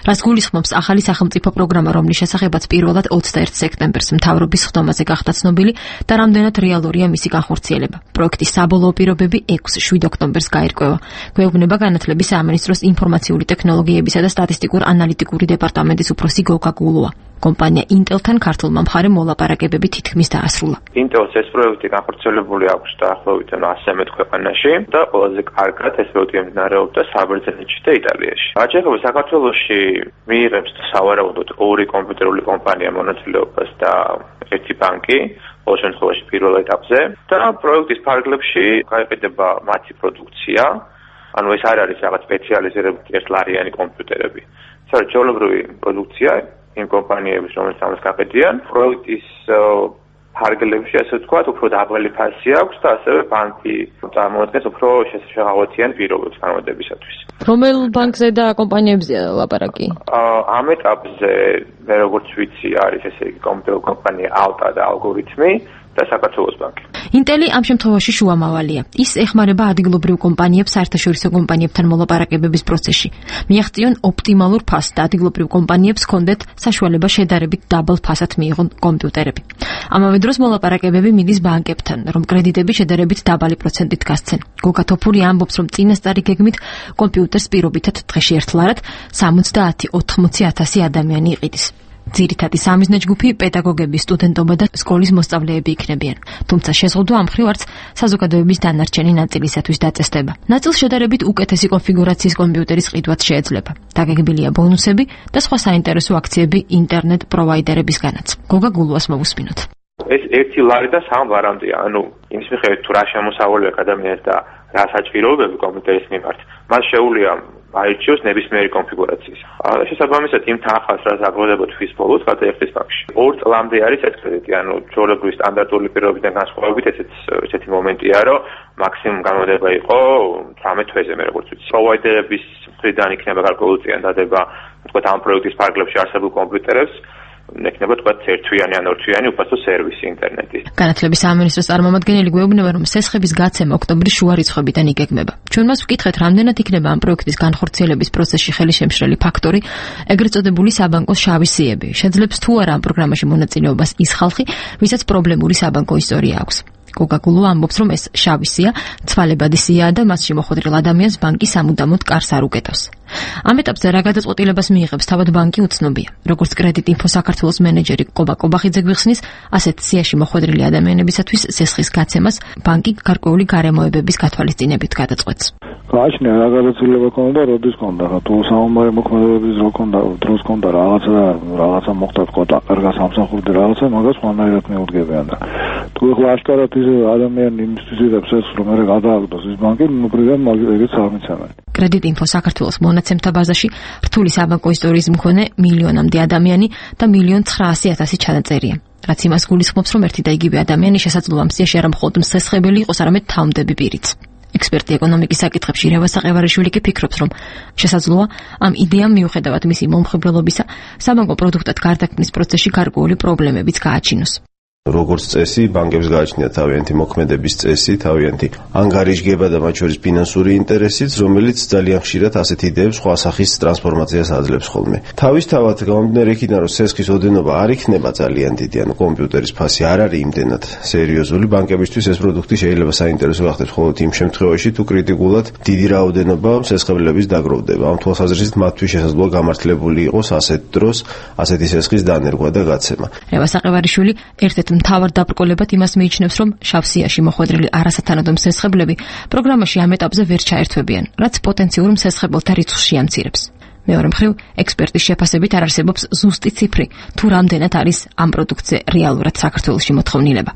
რაც გულისხმობს ახალი სახელმწიფო პროგრამა, რომლის შესახებაც პირველად 21 სექტემბერს მთავრობის ხდომაზე გახდა ცნობილი და რამდენად რეალურია მისი განხორციელება. პროექტის საბოლოო პირობები 6-7 ოქტომბერს გაირკვევა. გვეუბნება განათლების სამინისტროს ინფორმაციული ტექნოლოგიებისა და სტატისტიკურ-ანალიტიკური დეპარტამენტის უფროსი გოგა გულუა. კომპანია Intel-თან ქართულმა მხარემ მოლაპარაკებები თითქმის დაასრულა. Intel-ს ეს პროექტი განხორციელებული აქვს დაახლოებით 100 ქვეყანაში და ყველაზე კარგად ეს პროექტი მიმდინარეობდა საბერძნეთში და იტალიაში. რაც ეხება საქართველოში მიიღებს სავარაუდოდ 2 კომპიუტერული კომპანია მონაწილეობას და 1 ბანკი, ყოველ შემთხვევაში პირველ ეტაპზე და პროექტის ფარგლებში გაიყიდება მათი პროდუქცია. ანუ ეს არ არის რაღაც სპეციალიზირებული 1 ლარიანი კომპიუტერები. საერთაშორისო პროდუქცია იმ კომპანიების, რომელიც ამას გაყიდიან, პროექტის ფარგლებში, ასე ვთქვათ, უფრო დაბალი ფასი აქვს და ასევე ბანკი წარმოადგენს უფრო შეღავათიან პირობებს განმარტებისათვის. რომელ ბანკზე და კომპანიებზეა ლაპარაკი? ამ ეტაპზე, მე როგორც ვიცი, არის ესე იგი კომპანია Alta და Algoritmi და საქართველოს ბანკი. Intel-ი ამ შემთხვევაში შუამავალია. ის ეხმარება ადგილობრივ კომპანიებს საერთაშორისო კომპანიებთან მოლაპარაკებების პროცესში. მიაღწიონ ოპტიმალურ ფასს და ადგილობრივ კომპანიებს ჰქონდეთ საშუალება შედარებით დაბალ ფასად მიიღონ კომპიუტერები. ამავე დროს მოლაპარაკებები მიდის ბანკებთან, რომ კრედიტები შედარებით დაბალი პროცენტით გასცენ. გოგა თოფური ამბობს, რომ წინასწარი გეგმით კომპიუტერს პირობითად დღეში 1 ლარად 70-80 ადამიანი იყიდის. ძირითადი სამიზნე ჯგუფი პედაგოგები, სტუდენტობა და სკოლის მოსწავლეები იქნებიან. თუმცა შეზღუდვა ამ მხრივ არც საზოგადოების დანარჩენი ნაწილისათვის დაწესდება. ნაწილს შედარებით უკეთესი კონფიგურაციის კომპიუტერის ყიდვაც შეეძლება. დაგეგმილია ბონუსები და სხვა საინტერესო აქციები ინტერნეტ პროვაიდერებისგანაც. გოგა გულუას მოვუსმინოთ. ეს 1 ლარი და 3 ლარამდეა, ანუ იმის მიხედვით თუ რა შემოსავალი აქვს ადამიანს და რა საჭიროებები კომპიუტერის მიმართ, მას შეუძლია აირჩიოს ნებისმიერი კონფიგურაციის. შესაბამისად იმ თანხას, რაც აგროვდება თვის ბოლოს, გადაიხდის ბანკში. 2 წლამდე არის ეს კრედიტი, ანუ ჩვეულებრივი სტანდარტული პირობებიდან განსხვავებით ესეთი მომენტია, რომ მაქსიმუმ განმარტება იყო 18 თვეზე, მე როგორც ვიცი. პროვაიდერების მხრიდან იქნება გარკვეული წინა დადება, თქვათ ამ პროექტის ფარგლებში არსებულ კომპიუტერებს ექნება თქვათ 1 თვიანი ან 2 თვიანი უფასო სერვისი ინტერნეტის. განათლების სამინისტროს წარმომადგენელი გვეუბნება, რომ სესხების გაცემა ოქტომბრის შუა რიცხვებიდან იგეგმება. ჩვენ მას ვკითხეთ, რამდენად იქნება ამ პროექტის განხორციელების პროცესში ხელისშემშლელი ფაქტორი, ეგრეთ წოდებული საბანკო შავი სიები. შეძლებს თუ არა ამ პროგრამაში მონაწილეობას ის ხალხი, ვისაც პრობლემური საბანკო ისტორია აქვს. გოგა გულუა ამბობს, რომ ეს შავი სია ცვალებადი სიაა და მასში მოხვედრილ ადამიანს ბანკი სამუდამოდ კარს არ უკეტავს. ამ ეტაპზე რა გადაწყვეტილებას მიიღებს თავად ბანკი უცნობია. როგორც კრედიტ ინფო საქართველოს მენეჯერი ყობა ყობახიძე გვიხსნის, ასეთ სიაში მოხვედრილი ადამიანებისათვის სესხის გაცემას ბანკი გარკვეული გარემოებების გათვალისწინებით გადაწყვეტს. გააჩნია რა გადაწყვეტილება ქონდა, როდის ქონდა, თუ საომარი მოქმედებების რო ქონდა, დროს ქონდა რაღაცა მოხდა თქო და კარგა სამსახურდი რაღაცა, მაგას ხანაერად მეუდგებიან და თუ ახლა აშკარად ის ადამიანი იმისთვის იღებს ეს რომ მე გადააგდოს ის ბანკი, მოგრიდან მაგერიც არ მიცემენ. კრედიტ ინფო საქართველოს მონაცემთა ბაზაში რთული საბანკო ისტორიის მქონე მილიონამდე ადამიანი და 1,900,000 ჩანაწერია. რაც იმას გულისხმობს, რომ ერთი და იგივე ადამიანი შესაძლოა მსიაში არა მხოლოდ მსესხებელი იყოს, არამედ თავმდები პირიც. ექსპერტი ეკონომიკის საკითხებში რევას საყევარიშვილი კი ფიქრობს, რომ შესაძლოა ამ იდეამ მიუხედავად მისი მომხიბლელობისა, საბანკო პროდუქტად გარდაქმნის პროცესში გარკვეული პრობლემებიც გააჩინოს. როგორც წესი, ბანკებს გააჩნიათ თავიანთი მოქმედების წესი, თავიანთი ანგარიშგება და მათ შორის ფინანსური ინტერესიც, რომელიც ძალიან ხშირად ასეთ იდეებს სხვა სახის ტრანსფორმაციას აძლევს ხოლმე. თავისთავად გამომდინარე იქიდან, რომ სესხის ოდენობა არ იქნება ძალიან დიდი, ანუ კომპიუტერის ფასი არ არის იმდენად სერიოზული, ბანკებისთვის ეს პროდუქტი შეიძლება საინტერესო გახდეს მხოლოდ იმ შემთხვევაში, თუ კრიტიკულად დიდი რაოდენობა სესხებლების დაგროვდება. ამ თვალსაზრისით მათთვის შესაძლოა გამართლებული იყოს ასეთ დროს ასეთი სესხის დანერგვა და გაცემა. რევას საყევარიშვილი ერთ-ერთ მთავარ დაბრკოლებად იმას მიიჩნევს, რომ შავსიაში მოხვედრილი არასათანადო მსესხებლები პროგრამაში ამ ეტაპზე ვერ ჩაერთვებიან, რაც პოტენციურ მსესხებელთა რიცხვს შეამცირებს. მეორე მხრივ, ექსპერტის შეფასებით არ არსებობს ზუსტი ციფრი, თუ რამდენად არის ამ პროდუქტზე რეალურად საქართველოში მოთხოვნილება.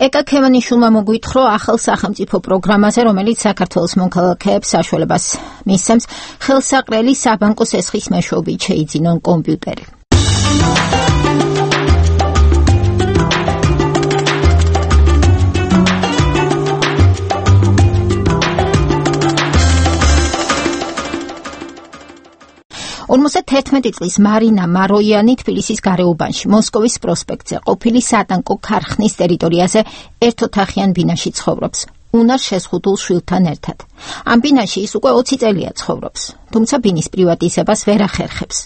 ეკა ქემანიშვილმა მოგვითხრო ახალ სახელმწიფო პროგრამაზე, რომელიც საქართველოს მოქალაქეებს საშუალებას მისცემს ხელსაყრელი საბანკო სესხის მეშვეობით შეიძინონ კომპიუტერი. წლის მარინა მაროიანი თბილისის გარეუბანში, მოსკოვის პროსპექტზე, ყოფილი სატანკო ქარხნის ტერიტორიაზე ერთოთახიან ბინაში ცხოვრობს, უნარ შეზღუდულ შვილთან ერთად. ამ ბინაში ის უკვე 20 წელია ცხოვრობს, თუმცა ბინის პრივატიზებას ვერ ახერხებს.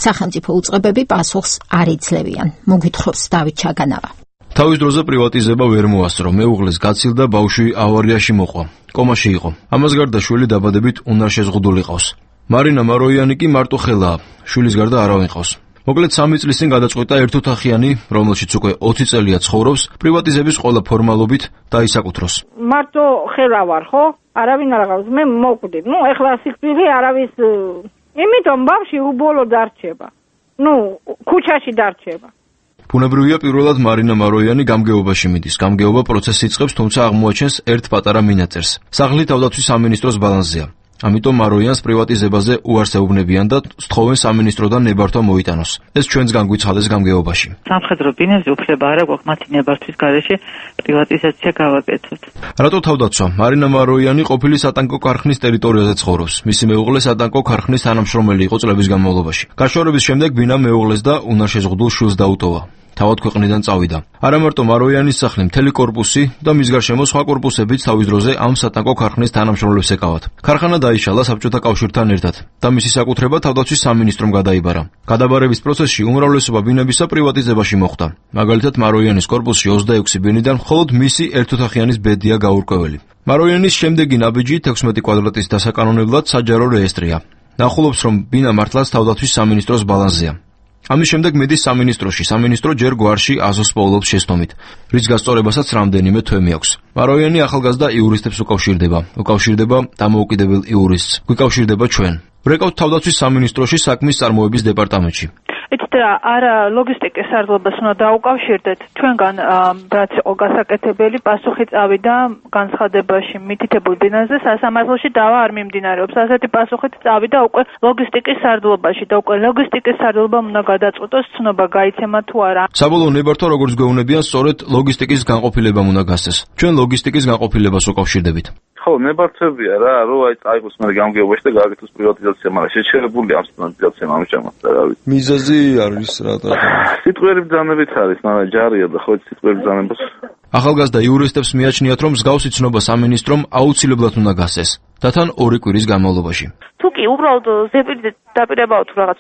სახელმწიფო უწყებები პასუხს არ იძლევიან, მოგვითხრობს დავით ჩაგანავა. თავის დროზე პრივატიზება ვერ მოასწრო, მეუღლეს გაცილდა, ბავშვი ავარიაში მოყვა, კომაში იყო. ამას გარდა შვილი დაბადებით უნარ შეზღუდული ყავს. მარინა მაროიანი კი მარტო ხელაა, შვილის გარდა არავინ ყავს. მოკლედ 3 წლის წინ გადაწყვიტა ერთოთახიანი, რომელშიც უკვე 20 წელია ცხოვრობს, პრივატიზების ყველა ფორმალობით დაისაკუთროს. მარტო ხელა ვარ, ხო? არავინ არ ყავს, მე მოკვდი. ეხლა სიკვდილი არავის, იმიტომ ბავშვი უბოლო დარჩება. ქუჩაში დარჩება. ბუნებრივია პირველად მარინა მაროიანი გამგეობაში მიდის. გამგეობა პროცესს იწყებს, თუმცა აღმოაჩენს ერთ პატარა მინაწერს. სახლი თავდაცვის სამინისტროს ბალანსზეა. ამიტომ მაროიანს პრივატიზებაზე უარს ეუბნებიან და სთხოვენ სამინისტროდან ნებართვა მოიტანოს. ეს ჩვენს განგვიცხადეს გამგეობაში. სამხედრო ბინებზე უფლება არ აქვს მათი ნებართვის გარეშე პრივატიზაცია გავაკეთოთ. რატო თავდაცვა? მარინა მაროიანი ყოფილი სატანკო ქარხნის ტერიტორიაზე ცხოვრობს. მისი მეუღლე სატანკო ქარხნის თანამშრომელი იყო წლების განმავლობაში. გაშორების შემდეგ ბინა მეუღლეს და უნარ შეზღუდულ შვილს დაუტოვა. თავად ქვეყნიდან წავიდა. არა მარტო მაროიანის სახლი, მთელი კორპუსი და მის გარშემო სხვა კორპუსებიც თავის დროზე ამ სატანკო ქარხნის თანამშრომლებს ეკავათ. ქარხანა დაიშალა საბჭოთა კავშირთან ერთად და მისი საკუთრება თავდაცვის სამინისტრომ გადაიბარა. გადაბარების პროცესში უმრავლესობა ბინებისა პრივატიზებაში მოხვდა. მაგალითად, მაროიანის კორპუსში 26 ბინიდან მხოლოდ მისი ერთოთახიანის ბედია გაურკვეველი. მაროიანის შემდეგი ნაბიჯი 16 კვადრატის დასაკანონებლად საჯარო რეესტრია. ნახულობს, რომ ბინა მართლაც თავდაცვის სამინისტროს ბალანსზეა. ამის შემდეგ მიდის სამინისტროში. სამინისტრო ჯერ გვარში აზოს პოულობს შეცდომით, რის გასწორებასაც რამდენიმე თვე მიაქვს. მაროიანი ახალგაზრდა იურისტებს უკავშირდება დამოუკიდებელ იურისტს. გვიკავშირდება ჩვენ. ვრეკავთ თავდაცვის სამინისტროში საქმის წარმოების დეპარტამენტში. არა ლოგისტიკის სარდლობას უნდა დაუკავშირდეთ. ჩვენგან რაც იყო გასაკეთებელი, პასუხი წავიდა განცხადებაში მითითებულ ბინაზე სასამართლოში დავა არ მიმდინარეობს. ასეთი პასუხით წავიდა უკვე ლოგისტიკის სარდლობაში და უკვე ლოგისტიკის სარდლობამ უნდა გადაწყვიტოს ცნობა გაიცემა თუ არა. საბოლოო ნებართვა როგორც გვეუბნებიან, სწორედ ლოგისტიკის განყოფილებამ უნდა გასცეს. ჩვენ ლოგისტიკის განყოფილებას უკავშირდებით. ხო, ნებართვებია რა, რომ წაიღოს მე გამგეობაში და გააკეთოს პრივატიზაცია, მაგრამ შეჩერებულია ამ პრივატიზაცია ამჟამად და რა ვიცი. მიზეზი არის რატო? სიტყვიერი ბრძანებით არის, მაგრამ ჯარია და ხო სიტყვიერი ბრძანებას. ახალგაზრდა იურისტებს მიაჩნიათ, რომ მსგავსი ცნობა სამინისტრომ აუცილებლად უნდა გასცეს და თან 2 კვირის განმავლობაში. თუ კი უბრალოდ ზეპირი დაპირებაა თუ რაღაც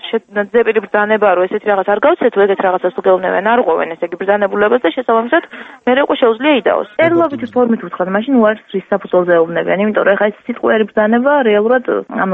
ზეპირი ბრძანება რო ესეთი რაღაც არ გავცეთო, ეგეთ რაღაცას თუ გეუბნებიან, არ ყვევენ ესე იგი ბრძანებულებას და შესაბამისად მე უკვე შეუძლია იდაოს. წერილობითი ფორმით ვთქვათ, მაშინ უარს რის საფუძველზე ეუბნებიან, იმიტომ რომ ეხა ეს სიტყვიერი ბრძანება რეალურად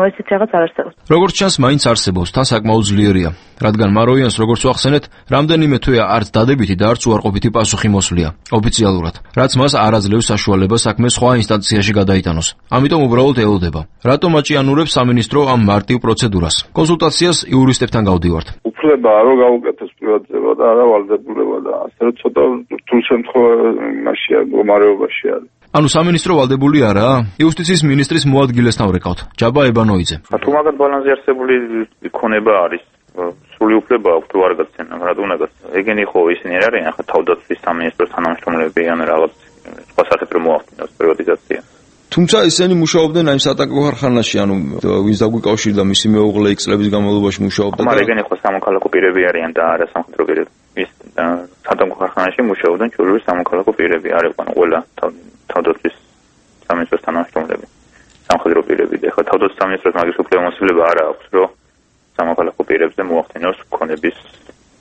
ესეთი რაღაც არ არსებობს. როგორც ჩანს, მაინც არსებობს, თან საკმაოდ ძლიერია, რადგან მაროიანს როგორც ვახსენეთ, რამდენიმე თვეა არც დადებითი და არც უარყოფითი პასუხი მოსვლია ოფიციალურად, რაც მას არ აძლევს საშუალებას საქმე სხვა ინსტანციაში გადაიტანოს. ამიტომ უბრალოდ ელოდება. რატომ აჭიანურებს სამინისტრო ამ მარტივ პროცედურას? კონსულტაციას იურისტებთან გავდივართ. უფლება რო გაუკეთოს პრივატიზება და არა ვალდებულება და ასე რომ ცოტა რთულ შემთხვევაშია, მდგომარეობაში არის. ანუ სამინისტრო ვალდებული არაა? იუსტიციის მინისტრის მოადგილესთან ვრეკავთ, ჯაბა ებანოიძე. თუ მაგათ ბალანსზე არსებული იქონება არის, სრული უფლება აქვს თუ არ გაცემა, რატომ უნდა გაცემა? ეგენი ხო ისინი არ არიან, ახლა თავდაცვის სამინისტროს თანამშრომლები ან რაღაც სხვა საფრთხე მოახდინოს პრივატიზაცია. თუმცა ისინი მუშაობდნენ აი სატანკო ქარხანაში, ანუ ვინც დაგვიკავშირდა მისი მეუღლე X წლების განმავლობაში მუშაობდა. მაგრამ ეგენი ხო სამოქალაქო პირები არიან და არა სამხედრო პირები. ის სატანკო ქარხანაში მუშაობდნენ ჩვეულებრივ სამოქალაქო პირები, არ იყვნენ ყველა თავდაცვის სამინისტროს თანამშრომლები. სამხედრო პირები და ხო თავდაცვის სამინისტროს მაგის უფლებამოსილება არ აქვს, რომ სამოქალაქო პირებზე მოახდინოს ქონების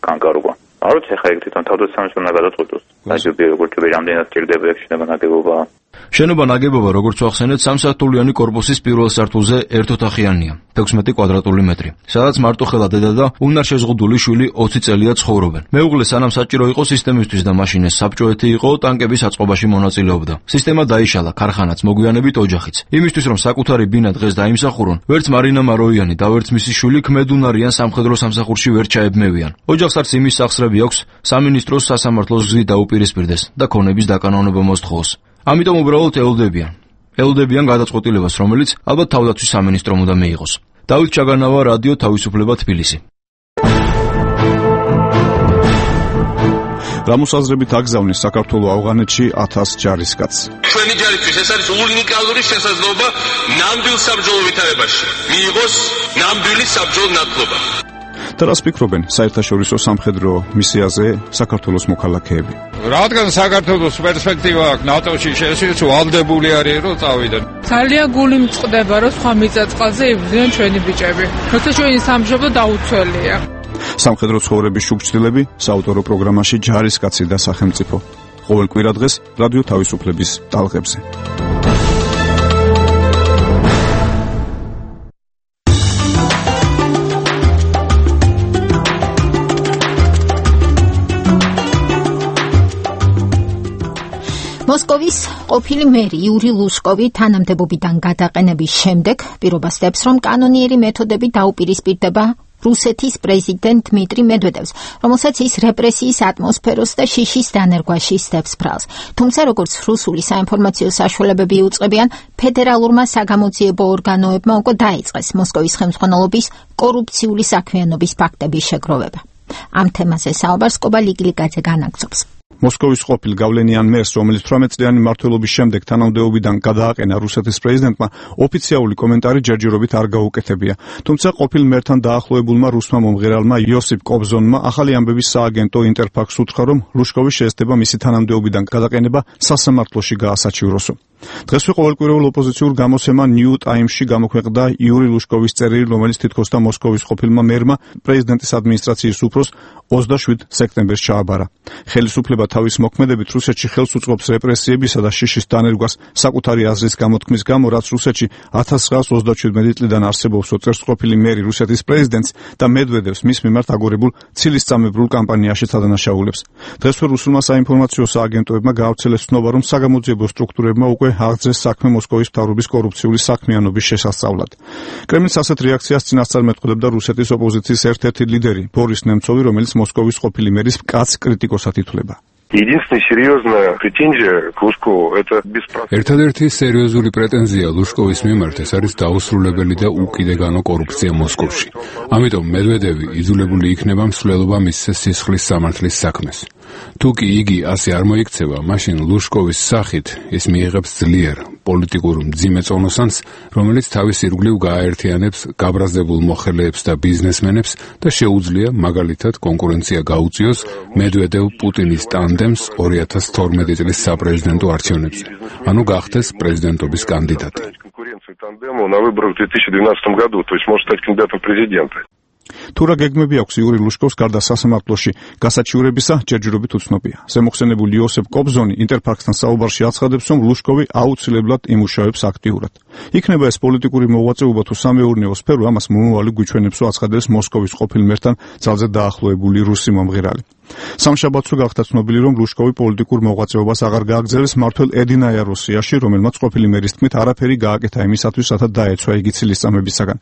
განკარგვა. არც ახლა ეგ თვითონ თავდაცვის სამინისტროს უნდა გადაწყვეტოს. ნაგებობა როგორც რამდენად ჭირდება ეგ შეიძლება ნაგებობა. შენობა ნაგებობა, როგორც ვახსენეთ, სამსართულიანი კორპუსის პირველ სართულზე ერთოთახიანია, 16 კვადრატული მეტრი, სადაც მარტოხელა დედა და უნარშეზღუდული შვილი 20 წელია ცხოვრობენ. მეუღლე სანამ საჭირო იყო სისტემისთვის და მაშინ ეს საბჭოეთი იყო, ტანკების აწყობაში მონაწილეობდა. სისტემა დაიშალა, ქარხანაც მოგვიანებით ოჯახიც. იმისთვის რომ საკუთარი ბინა დღეს დაიმსახურონ, ვერც მარინა მაროიანი და ვერც მისი შვილი ქმედუნარიან სამხედრო სამსახურში ვერ ჩაებმევიან. ოჯახს არც იმის სახსრები აქვს სამინისტროს სასამართლოს გზით დაუპირისპირდეს და ქონების დაკანონება მოსთხოვოს. ამიტომ უბრალოდ ელოდებიან გადაწყვეტილებას, რომელიც ალბათ თავდაცვის სამინისტრომ უნდა მიიღოს. დავით ჩაგანავა, რადიო თავისუფლება, თბილისი. რამოსაზრებით აგზავნის საქართველოს ავღანეთში 1000 ჯარისკაცს. ჩვენი ჯარისთვის ეს არის უნიკალური შესაძლებლობა ნამდვილ საბრძოლო ვითარებაში მიიღოს ნამდვილი საბრძოლო ნათლობა. და რას ფიქრობენ საერთაშორისო სამხედრო მისიაზე საქართველოს მოქალაქეები? რადგან საქართველოს პერსპექტივა აქვს ნატოში, შესაძლოა ვალდებული არის რომ წავიდნენ. ძალიან გული მწყდება რომ სხვა მიწა-წყალზე იბრძვიან ჩვენი ბიჭები. როცა ჩვენი სამშობლო დაუცველია. სამხედრო ცხოვრების შუქჩილები საავტორო პროგრამაში ჯარისკაცი და სახელმწიფო. ყოველ კვირა დღეს რადიო თავისუფლების ტალღებზე. მოსკოვის ყოფილი მერი იური ლუშკოვი თანამდებობიდან გადაყენების შემდეგ პირობას დებს, რომ კანონიერი მეთოდები დაუპირისპირდება რუსეთის პრეზიდენტ დმიტრი მედვედევს, რომელსაც ის რეპრესიის ატმოსფეროს და შიშის დანერგვაში სდებს ბრალს. თუმცა, როგორც რუსული საინფორმაციო საშუალებები იუწყებიან, ფედერალურმა საგამოძიებო ორგანოებმა უკვე დაიწყეს მოსკოვის ხელმძღვანელობის კორუფციული საქმიანობის ფაქტების შეგროვება. ამ თემაზე საუბარს კობა ლიგლიგაძე განაგრძობს. მოსკოვის ყოფილ გავლენიან მერს, რომელიც 18 წლიანი მმართველობის შემდეგ თანამდებობიდან გადააყენა რუსეთის პრეზიდენტმა, ოფიციალური კომენტარი ჯერჯერობით არ გაუკეთებია. თუმცა ყოფილ მერთან დაახლოებულმა რუსმა მომღერალმა იოსიპ კობზონმა ახალი ამბების სააგენტო ინტერფაქს უთხრა, რომ ლუშკოვის შესდება მისი თანამდებობიდან გადაყენება სასამართლოში გაასაჩივროსო. დღესვე ყოველკვირეულ ოპოზიციურ გამოცემა New Times-ში გამოქვეყნდა იური ლუშკოვის წერილი, რომელიც თითქოს და მოსკოვის ყოფილმა მერმა პრეზიდენტის ადმინისტრაციის უფროს 27 სექტემბერს ჩააბარა. ხელისუფლება თავის მოქმედებით რუსეთში ხელს უწყობს რეპრესიებისა და შიშის დანერგვას საკუთარი აზრის გამოთქმის გამო, რაც რუსეთში 1937 წლიდან არსებობს, წერს ყოფილი მერი რუსეთის პრეზიდენტს და მედვედევს მის მიმართ აგორებულ ცილისწამებრულ კამპანიაშიც ადანაშაულებს. დღესვე რუსულმა საინფორმაციო სააგენტოებმა გაავრცელეს ცნობა, რომ საგამოძიებო სტრუქტურებმა უკვე აღძრეს საქმე მოსკოვის მთავრობის კორუფციული საქმიანობის შესასწავლად. კრემლის ასეთ რეაქციას წინასწარ მეტყოლებდა რუსეთის ოპოზიციის ერთ-ერთი ლიდერი ბორის ნემცოვი, რომელიც მოსკოვის ყოფილი მერის მკაც კრიტიკოსად ითვლება. Единственная серьезная претензия к Лужкову это бесправие. Ერთადერთი სერიოზული პრეტენზია ლუშკოვის მიმართ ეს არის დაუსრულებელი და უკიდეგანო კორუფცია მოსკოვში. ამიტომ მედვედევი იძულებული იქნება მსვლელობა მისცეს სისხლის სამართლის საქმეს. თუ კი იგი ასე არ მოიქცევა, მაშინ ლუშკოვის სახით ის მიიღებს ძლიერ პოლიტიკურ მძიმე წონოსანს, რომელიც თავის ირგვლივ გააერთიანებს გაბრაზდებულ მოხელეებს და ბიზნესმენებს და შეუძლია მაგალითად კონკურენცია გაუწიოს მედვედევ-პუტინის ტანდემს 2012 წლის საპრეზიდენტო არჩევნებზე. ანუ გახდეს პრეზიდენტობის კანდიდატი. Тандему на выборах в 2012 году, то есть может стать кандидатом в президенты. თუ რა გეგმები აქვს იური ლუშკოვს გარდა სასამართლოში გასაჩივრებისა, ჯერჯერობით უცნობია. ზემოხსენებული იოსებ კობზონი ინტერფაქსთან საუბარში აცხადებს, რომ ლუშკოვი აუცილებლად იმუშავებს აქტიურად. იქნება ეს პოლიტიკური მოღვაწეობა თუ სამეურნეო სფერო, ამას მომავალი გვიჩვენებსო აცხადებს მოსკოვის ყოფილ მერთან ძალზე დაახლოებული რუსი მომღერალი. სამშაბათს გახდა ცნობილი, რომ ლუშკოვი პოლიტიკურ მოღვაწეობას აღარ გააგრძელებს მმართველ ედინაია რუსიაში, რომელმაც ყოფილი მერის თქმით არაფერი გააკეთა იმისათვის, რათა დაეცვა იგი ცილისწამებისაგან.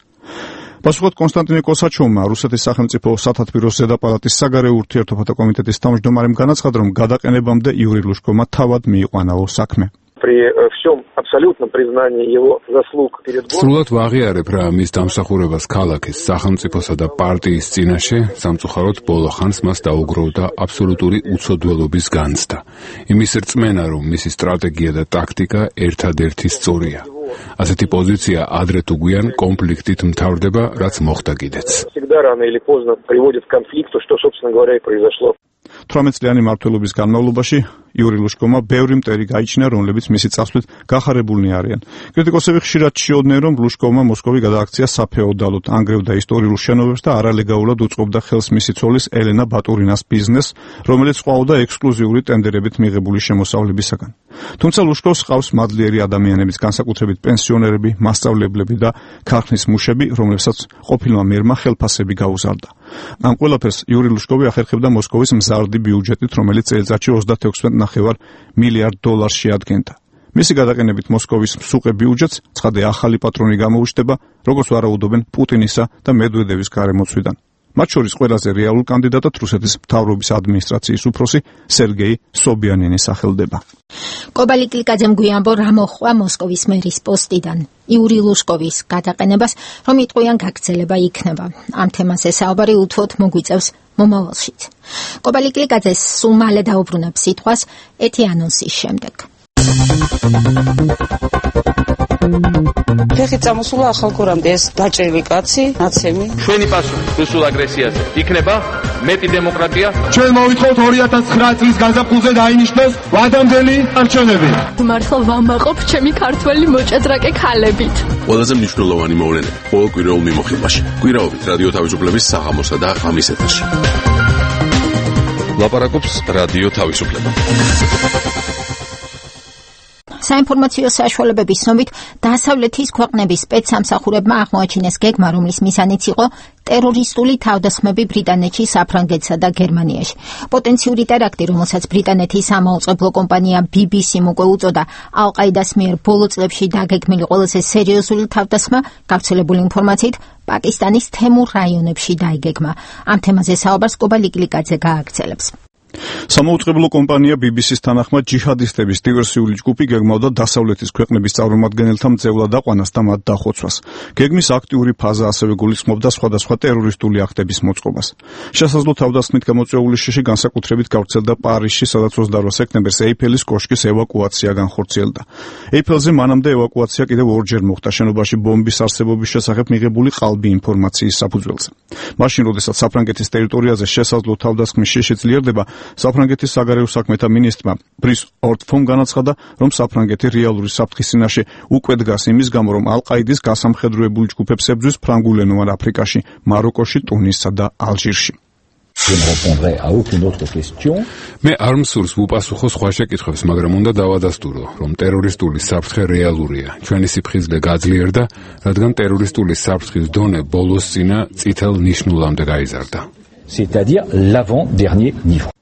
პასუხად კონსტანტინე კოსაჩოვმა, რუსეთის სახელმწიფო სათათბიროს ზედაპალატის საგარეო ურთიერთობათა კომიტეტის თავმჯდომარემ განაცხადა, რომ გადაყენებამდე იური ლუშკოვმა თავად მიიყვანაო საქმე. При всем абсолютном признании его заслуг перед Богом. სრულად ვაღიარებ რა მის დამსახურებას ქალაქის, სახელმწიფოსა და პარტიის წინაშე, სამწუხაროდ ბოლო ხანს მას დაუგროვდა აბსოლუტური უცოდველობის განცდა. იმის რწმენა, რომ მისი სტრატეგია და ტაქტიკა ერთადერთი სწორია. ასეთი პოზიცია ადრე თუ გვიან კონფლიქტით მთავრდება, რაც მოხდა კიდეც. Всегда рано или поздно приводит к конфликту, что, собственно говоря, и произошло. 18 წლიანი მმართველობის განმავლობაში იური ლუშკოვმა ბევრი მტერი გაიჩინა, რომლებიც მისი წასვლით გახარებულნი არიან. კრიტიკოსები ხშირად ჩიოდნენ, რომ ლუშკოვმა მოსკოვი გადააქცია საფეოდალოდ, ანგრევდა ისტორიულ შენობებს და არალეგალურად უწყობდა ხელს მისი ცოლის ელენა ბატურინას ბიზნესს, რომელიც ყვაოდა ექსკლუზიური ტენდერებით მიღებული შემოსავლებისაგან. თუმცა ლუშკოვს ჰყავს მადლიერი ადამიანების, განსაკუთრებით პენსიონერები, მასწავლებლები და ქარხნის მუშები, რომლებსაც ყოფილმა მერმა ხელფასები გაუზარდა. ამ ყველაფერს იური ლუშკოვი ახერხებდა მოსკოვის მზარდი ბიუჯეტით, რომელიც წელიწადში 36.5 მილიარდ დოლარს შეადგენდა. მისი გადაყენებით მოსკოვის მსუყე ბიუჯეტს ცხადე ახალი პატრონი გამოუჩნდება, როგორც ვარაუდობენ პუტინისა და მედვედევის გარემოცვიდან. მათ შორის ყველაზე რეალურ კანდიდატად რუსეთის მთავრობის ადმინისტრაციის უფროსი სერგეი სობიანინი სახელდება. კობალიკლიკაძემ გვიანბო რა მოხდა მოსკოვის მერის პოსტიდან. იური ლუშკოვის გადაყენებას რომ იტყვიან გაგრძელება იქნება. ამ თემაზე საუბარი უთუოდ მოგვიწევს მომავალშიც. კობალიკლიკაძეს სულ მალე დაუბრუნებს სიტყვას ეთი ანონსის შემდეგ. ფეხით წამოსულა ახალგორამდე ეს დაჭრილი კაცი, ნაცემი. ჩვენი პასუხი რუსულ აგრესიაზე იქნება მეტი დემოკრატია. ჩვენ მოვითხოვთ 2009 წლის გაზაფხულზე დაინიშნოს ვადამდელი არჩევნები. მართლა ვამაყობ ჩემი ქართველი მოჭადრაკე ქალებით. ყველაზე მნიშვნელოვანი მოვლენები ყოველ კვირაულ მიმოხილვაში. კვირაობით რადიო თავისუფლების საღამოსა და ღამის ეთერში. ლაპარაკობს რადიო თავისუფლება. საინფორმაციო საშუალებების ცნობით დასავლეთის ქვეყნების სპეცსამსახურებმა აღმოაჩინეს გეგმა, რომლის მიზანიც იყო ტერორისტული თავდასხმები ბრიტანეთში, საფრანგეთსა და გერმანიაში. პოტენციური ტერაქტი, რომელსაც ბრიტანეთის სამაუწყებლო კომპანია BBC-მ უკვე უწოდა ალ-ყაიდას მიერ ბოლო წლებში დაგეგმილი ყველაზე სერიოზული თავდასხმა, გავრცელებული ინფორმაციით პაკისტანის თემურ რაიონებში დაიგეგმა. ამ თემაზე საუბარს კობალიკლიკაძე გააგრძელებს. სამაუწყებლო კომპანია BBC-ს თანახმად ჯიჰადისტების დივერსიული ჯგუფი გეგმავდა დასავლეთის ქვეყნების წარმომადგენელთა მძევლად აყვანას და მათ დახოცვას. გეგმის აქტიური ფაზა ასევე გულისხმობდა სხვადასხვა ტერორისტული აქტების მოწყობას. შესაძლო თავდასხმით გამოწვეული შიში განსაკუთრებით გავრცელდა პარიზში, სადაც 28 სექტემბერს ეიფელის კოშკის ევაკუაცია განხორციელდა. ეიფელზე მანამდე ევაკუაცია კიდევ ორჯერ მოხდა შენობაში ბომბის არსებობის შესახებ მიღებული ყალბი ინფორმაციის საფუძველზე. მაშინ, როდესაც საფრანგეთის ტერიტორიაზე შესაძლო თავდასხმის შიში ძლიერდება, საფრანგეთის საგარეო საქმეთა მინისტრმა ბრის ორტფომ განაცხადა, რომ საფრანგეთი რეალური საფრთხის წინაშე უკვე დგას იმის გამო, რომ ალ-ყაიდის გასამხედროებული ჯგუფებს ებრძვის ფრანგულენოვან აფრიკაში, მაროკოში, ტუნისსა და ალჟირში. მე არ მსურს ვუპასუხო სხვა შეკითხვებს, მაგრამ უნდა დავადასტურო, რომ ტერორისტული საფრთხე რეალურია. ჩვენი სიფხიზლე გაძლიერდა, რადგან ტერორისტული საფრთხის დონე ბოლოს წინა წითელ ნიშნულამდე გაიზარდა. C'est-à-dire l'avant-dernier niveau.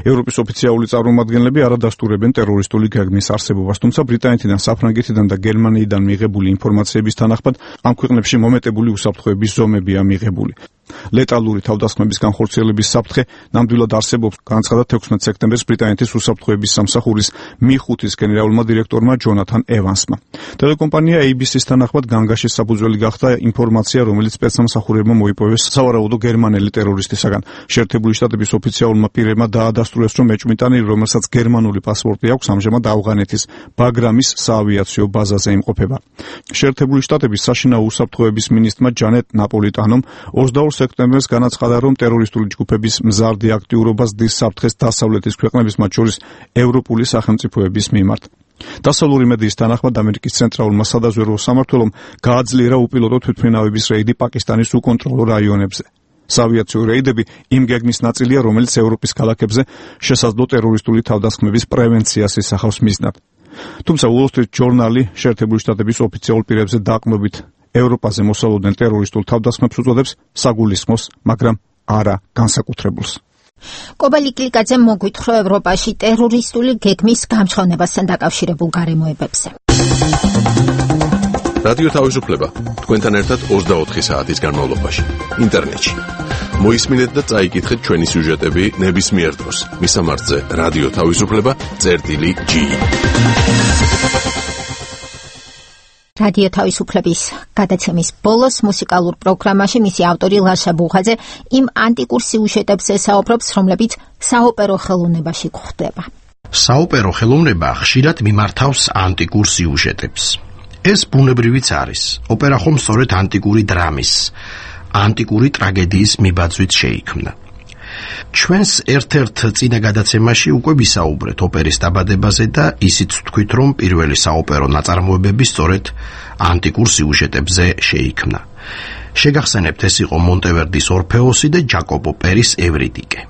ევროპის ოფიციალური წარმომადგენლები არ ადასტურებენ ტერორისტული გეგმის არსებობას, თუმცა ბრიტანეთიდან, საფრანგეთიდან და გერმანიიდან მიღებული ინფორმაციების თანახმად ამ ქვეყნებში მომეტებული უსაფრთხოების ზომებია მიღებული. ლეტალური თავდასხმების განხორციელების საფრთხე ნამდვილად არსებობს, განაცხადა 16 სექტემბერს ბრიტანეთის უსაფრთხოების სამსახურის მი-5-ის გენერალურმა დირექტორმა ჯონათან ევანსმა. ტელეკომპანია ABC-ს თანახმად განგაშის საფუძველი გახდა ინფორმაცია, რომელიც სპეცსამსახურებმა მოიპოვეს სავარაუდო გერმანელი ტერორისტისაგან. შეერთებული შტატების ოფიციალურმა პირებმა დაადასტურეს, რომ მეჭვმიტანი, რომელსაც გერმანული პასპორტი აქვს, ამჟამად ავღანეთის ბაგრამის საავიაციო ბაზაზე იმყოფება. შეერთებული შტატების საშინაო უსაფრთხოების მინისტრმა ჯანეტ ნაპოლიტანომ 22 სექტემბერს განაცხადა, რომ ტერორისტული ჯგუფების მზარდი აქტიურობა ზრდის საფრთხეს დასავლეთის ქვეყნების, მათ შორის ევროპული სახელმწიფოების მიმართ. დასავლური მედიის თანახმად ამერიკის ცენტრალურმა სადაზვერვო სამმართველომ გააძლიერა უპილოტო თვითმფრინავების რეიდი პაკისტანის უკონტროლო რაიონებზე. საავიაციო რეიდები იმ გეგმის ნაწილია, რომელიც ევროპის ქალაქებზე შესაძლო ტერორისტული თავდასხმების პრევენციას ისახავს მიზნად. თუმცა Wall Street Journal-ი შეერთებული შტატების ოფიციალურ პირებზე დაყრდნობით ევროპაზე მოსალოდნელ ტერორისტულ თავდასხმებს უწოდებს საგულისხმოს, მაგრამ არა განსაკუთრებულს. კობალიკლიკაძემ მოგვითხრა ევროპაში ტერორისტული გეგმის გამჟღავნებასთან დაკავშირებულ გარემოებებზე. რადიო თავისუფლება თქვენთან ერთად 24 საათის განმავლობაში ინტერნეტში. მოისმინეთ და წაიკითხეთ ჩვენი სიუჟეტები ნებისმიერ დროს. მისამართზე რადიო თავისუფლება.gi. რადიო თავისუფლების გადაცემის ბოლოს მუსიკალურ პროგრამაში მისი ავტორი ლაშა ბუხაძე იმ ანტიკურ სიუჟეტებზე საუბრობს, რომლებიც საოპერო ხელოვნებაში გვხვდება. საოპერო ხელოვნება ხშირად მიმართავს ანტიკურ სიუჟეტებს. ეს ბუნებრივიც არის. ოპერა ხომ სწორედ ანტიკური დრამის, ანტიკური ტრაგედიის მიბაძვით შეიქმნა. ჩვენს ერთ-ერთ წინა გადაცემაში უკვე ვისაუბრეთ ოპერის დაბადებაზე და ისიც ვთქვით, რომ პირველი საოპერო ნაწარმოებები სწორედ ანტიკურ სიუჟეტებზე შეიქმნა. შეგახსენებთ, ეს იყო მონტევერდის ორფეოსი და ჯაკოპო პერის ევრიდიკე.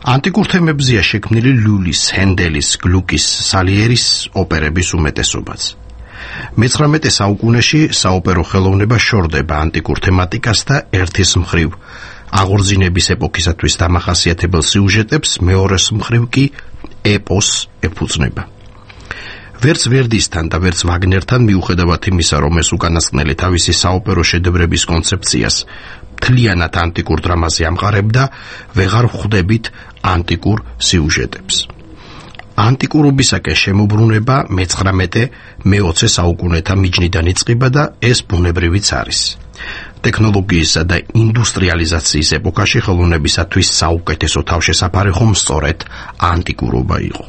ანტიკურ თემებზეა შექმნილი ლიulis, ჰენდელის, გლუკის, სალიერის ოპერების უმეტესობაც. მე-19 საუკუნეში საოპერო ხელოვნება შორდება ანტიკურ თემატიკას და ერთის მხრივ აღორძინების ეპოქისათვის დამახასიათებელ სიუჟეტებს, მეორეს მხრივ კი ეპოსს ეფუძნება. ვერც ვერდისთან და ვერც ვაგნერთან მიუხედავად იმისა, რომ ეს უკანასკნელი თავისი საოპერო შედევრების კონცეფციას მთლიანად ანტიკურ დრამაზე ამყარებდა, ვეღარ ვხვდებით ანტიკურ სიუჟეტებს. ანტიკურობისაკენ შემოbrunება მე-19-მე-20 საუკუნეთა მიჯნიდან იწყება და ეს ბუნებრივიც არის. ტექნოლოგიისა და ინდუსტრიალიზაციის ეპოქაში ხელოვნებისათვის საუკეთესო თავშესაფარი ხომ სწორედ ანტიკურობა იყო.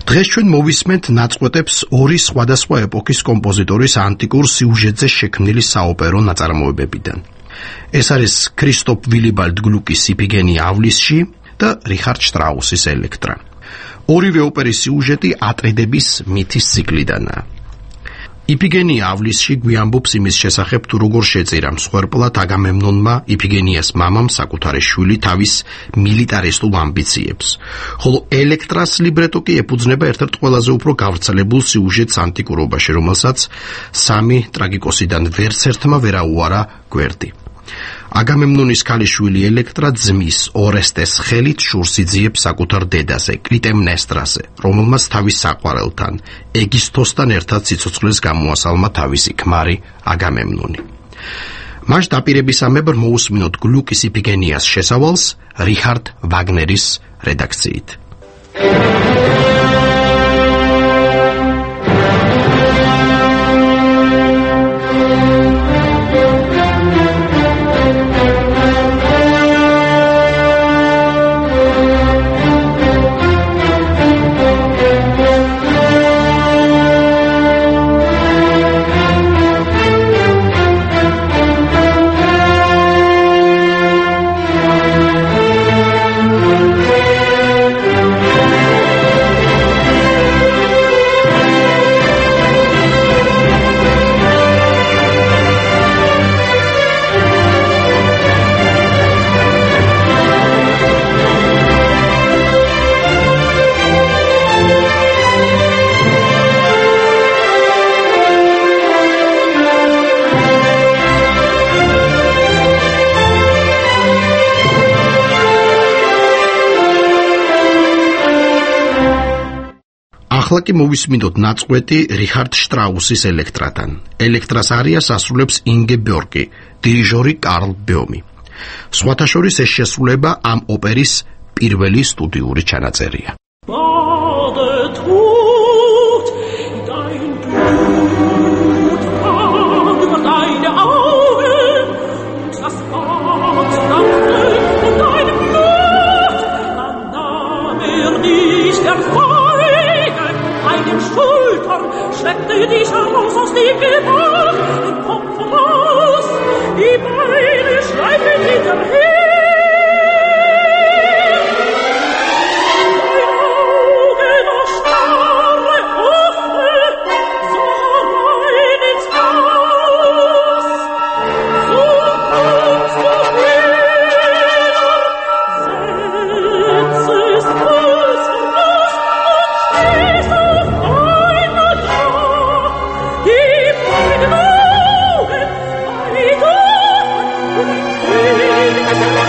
დღეს ჩვენ მოვისმენთ ნაწყვეტებს ორი სხვადასხვა ეპოქის კომპოზიტორის ანტიკურ სიუჟეტზე შექმნილი საოპერო ნაწარმოებებიდან. ეს არის ქრისტოფ ვილიბალდ გლუკის იფიგენია ავლისში და რიხარდ შტრაუსის ელექტრა. ორივე ოპერის სიუჟეტი ატრიდების მითის ციკლიდანაა. იფიგენია ავლისში გვიამბობს იმის შესახებ, თუ როგორ შეწირა მსხვერპლად აგამემნონმა იფიგენიას მამამ საკუთარი შვილი თავის მილიტარისტულ ამბიციებს, ხოლო ელექტრას ლიბრეტო კი ეფუძნება ერთ-ერთ ყველაზე უფრო გავრცელებულ სიუჟეტს ანტიკურობაში, რომელსაც სამი ტრაგიკოსიდან ვერც ერთმა ვერ აუარა გვერდი. აგამემნონის ქალიშვილი ელექტრა ძმის ორესტეს ხელით შურს იძიებს საკუთარ დედაზე, კლიტემნესტრაზე, რომელმაც თავის საყვარელთან, ეგისთოსთან ერთად სიცოცხლეს გამოასალმა თავისი ქმარი აგამემნონი. მას დაპირებისამებრ მოусმინოთ გლუკის იფიგენიას შესავალს რიხარდ ვაგნერის რედაქციით. ახლა კი მოვისმინოთ ნაწყვეტი რიხარდ შტრაუსის ელექტრათან. ელექტრას არიას ასრულებს ინგე ბიორკი, დირიჟორი კარლ ბეომი. სხვათა შორის ეს შესრულება ამ ოპერის პირველი სტუდიური ჩანაწერია. Schleppte dich heraus aus dem Gewalt und Kopf raus, die Beine schleifen hinterm her. Dein Auge noch starre, offen, so rein ins Haus. So kommst du wieder, setzest Fuß vor Fuß und stehst auf einmal da. Die beiden Augen, beide, und ein König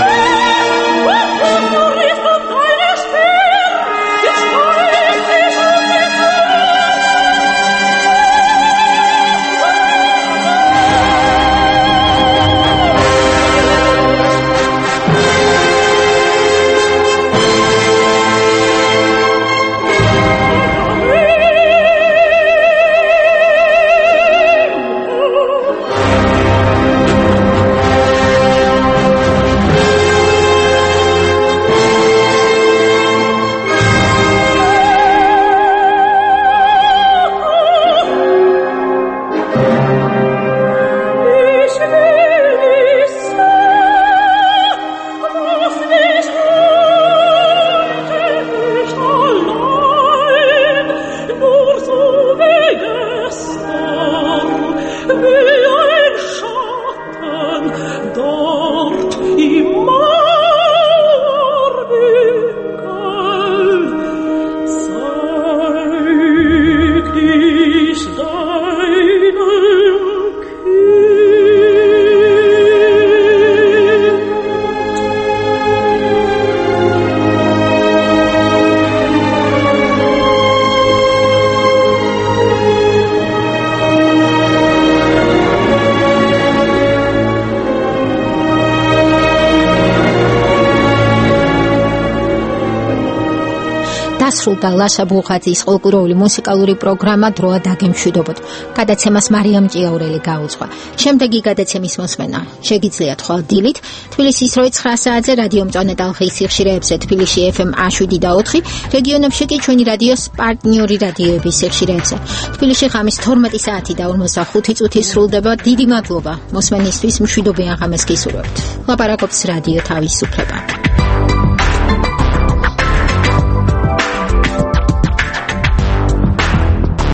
დასრულდა ლაშა ბუღაძის ყოლკუროული მუსიკალური პროგრამა დროა დაგემშვიდობოთ. გადაცემას მარიამ ჭიაურელი გაუძღვა. შემდეგი გადაცემის მოსმენა შეგიძლიათ ხვალ დილით თბილისის 9 საათზე რადიო მწვანე ტალღის სიხშირეებზე თბილისში FM 7 და 4, რეგიონებში კი ჩვენი რადიოს პარტნიორი რადიოების სიხშირეებზე. თბილისში ღამის 12 საათი და 45 წუთი სრულდება. დიდი მადლობა მოსმენისთვის, მშვიდობიან ღამეს გისურვებთ. ლაპარაკობს რადიო თავისუფლება.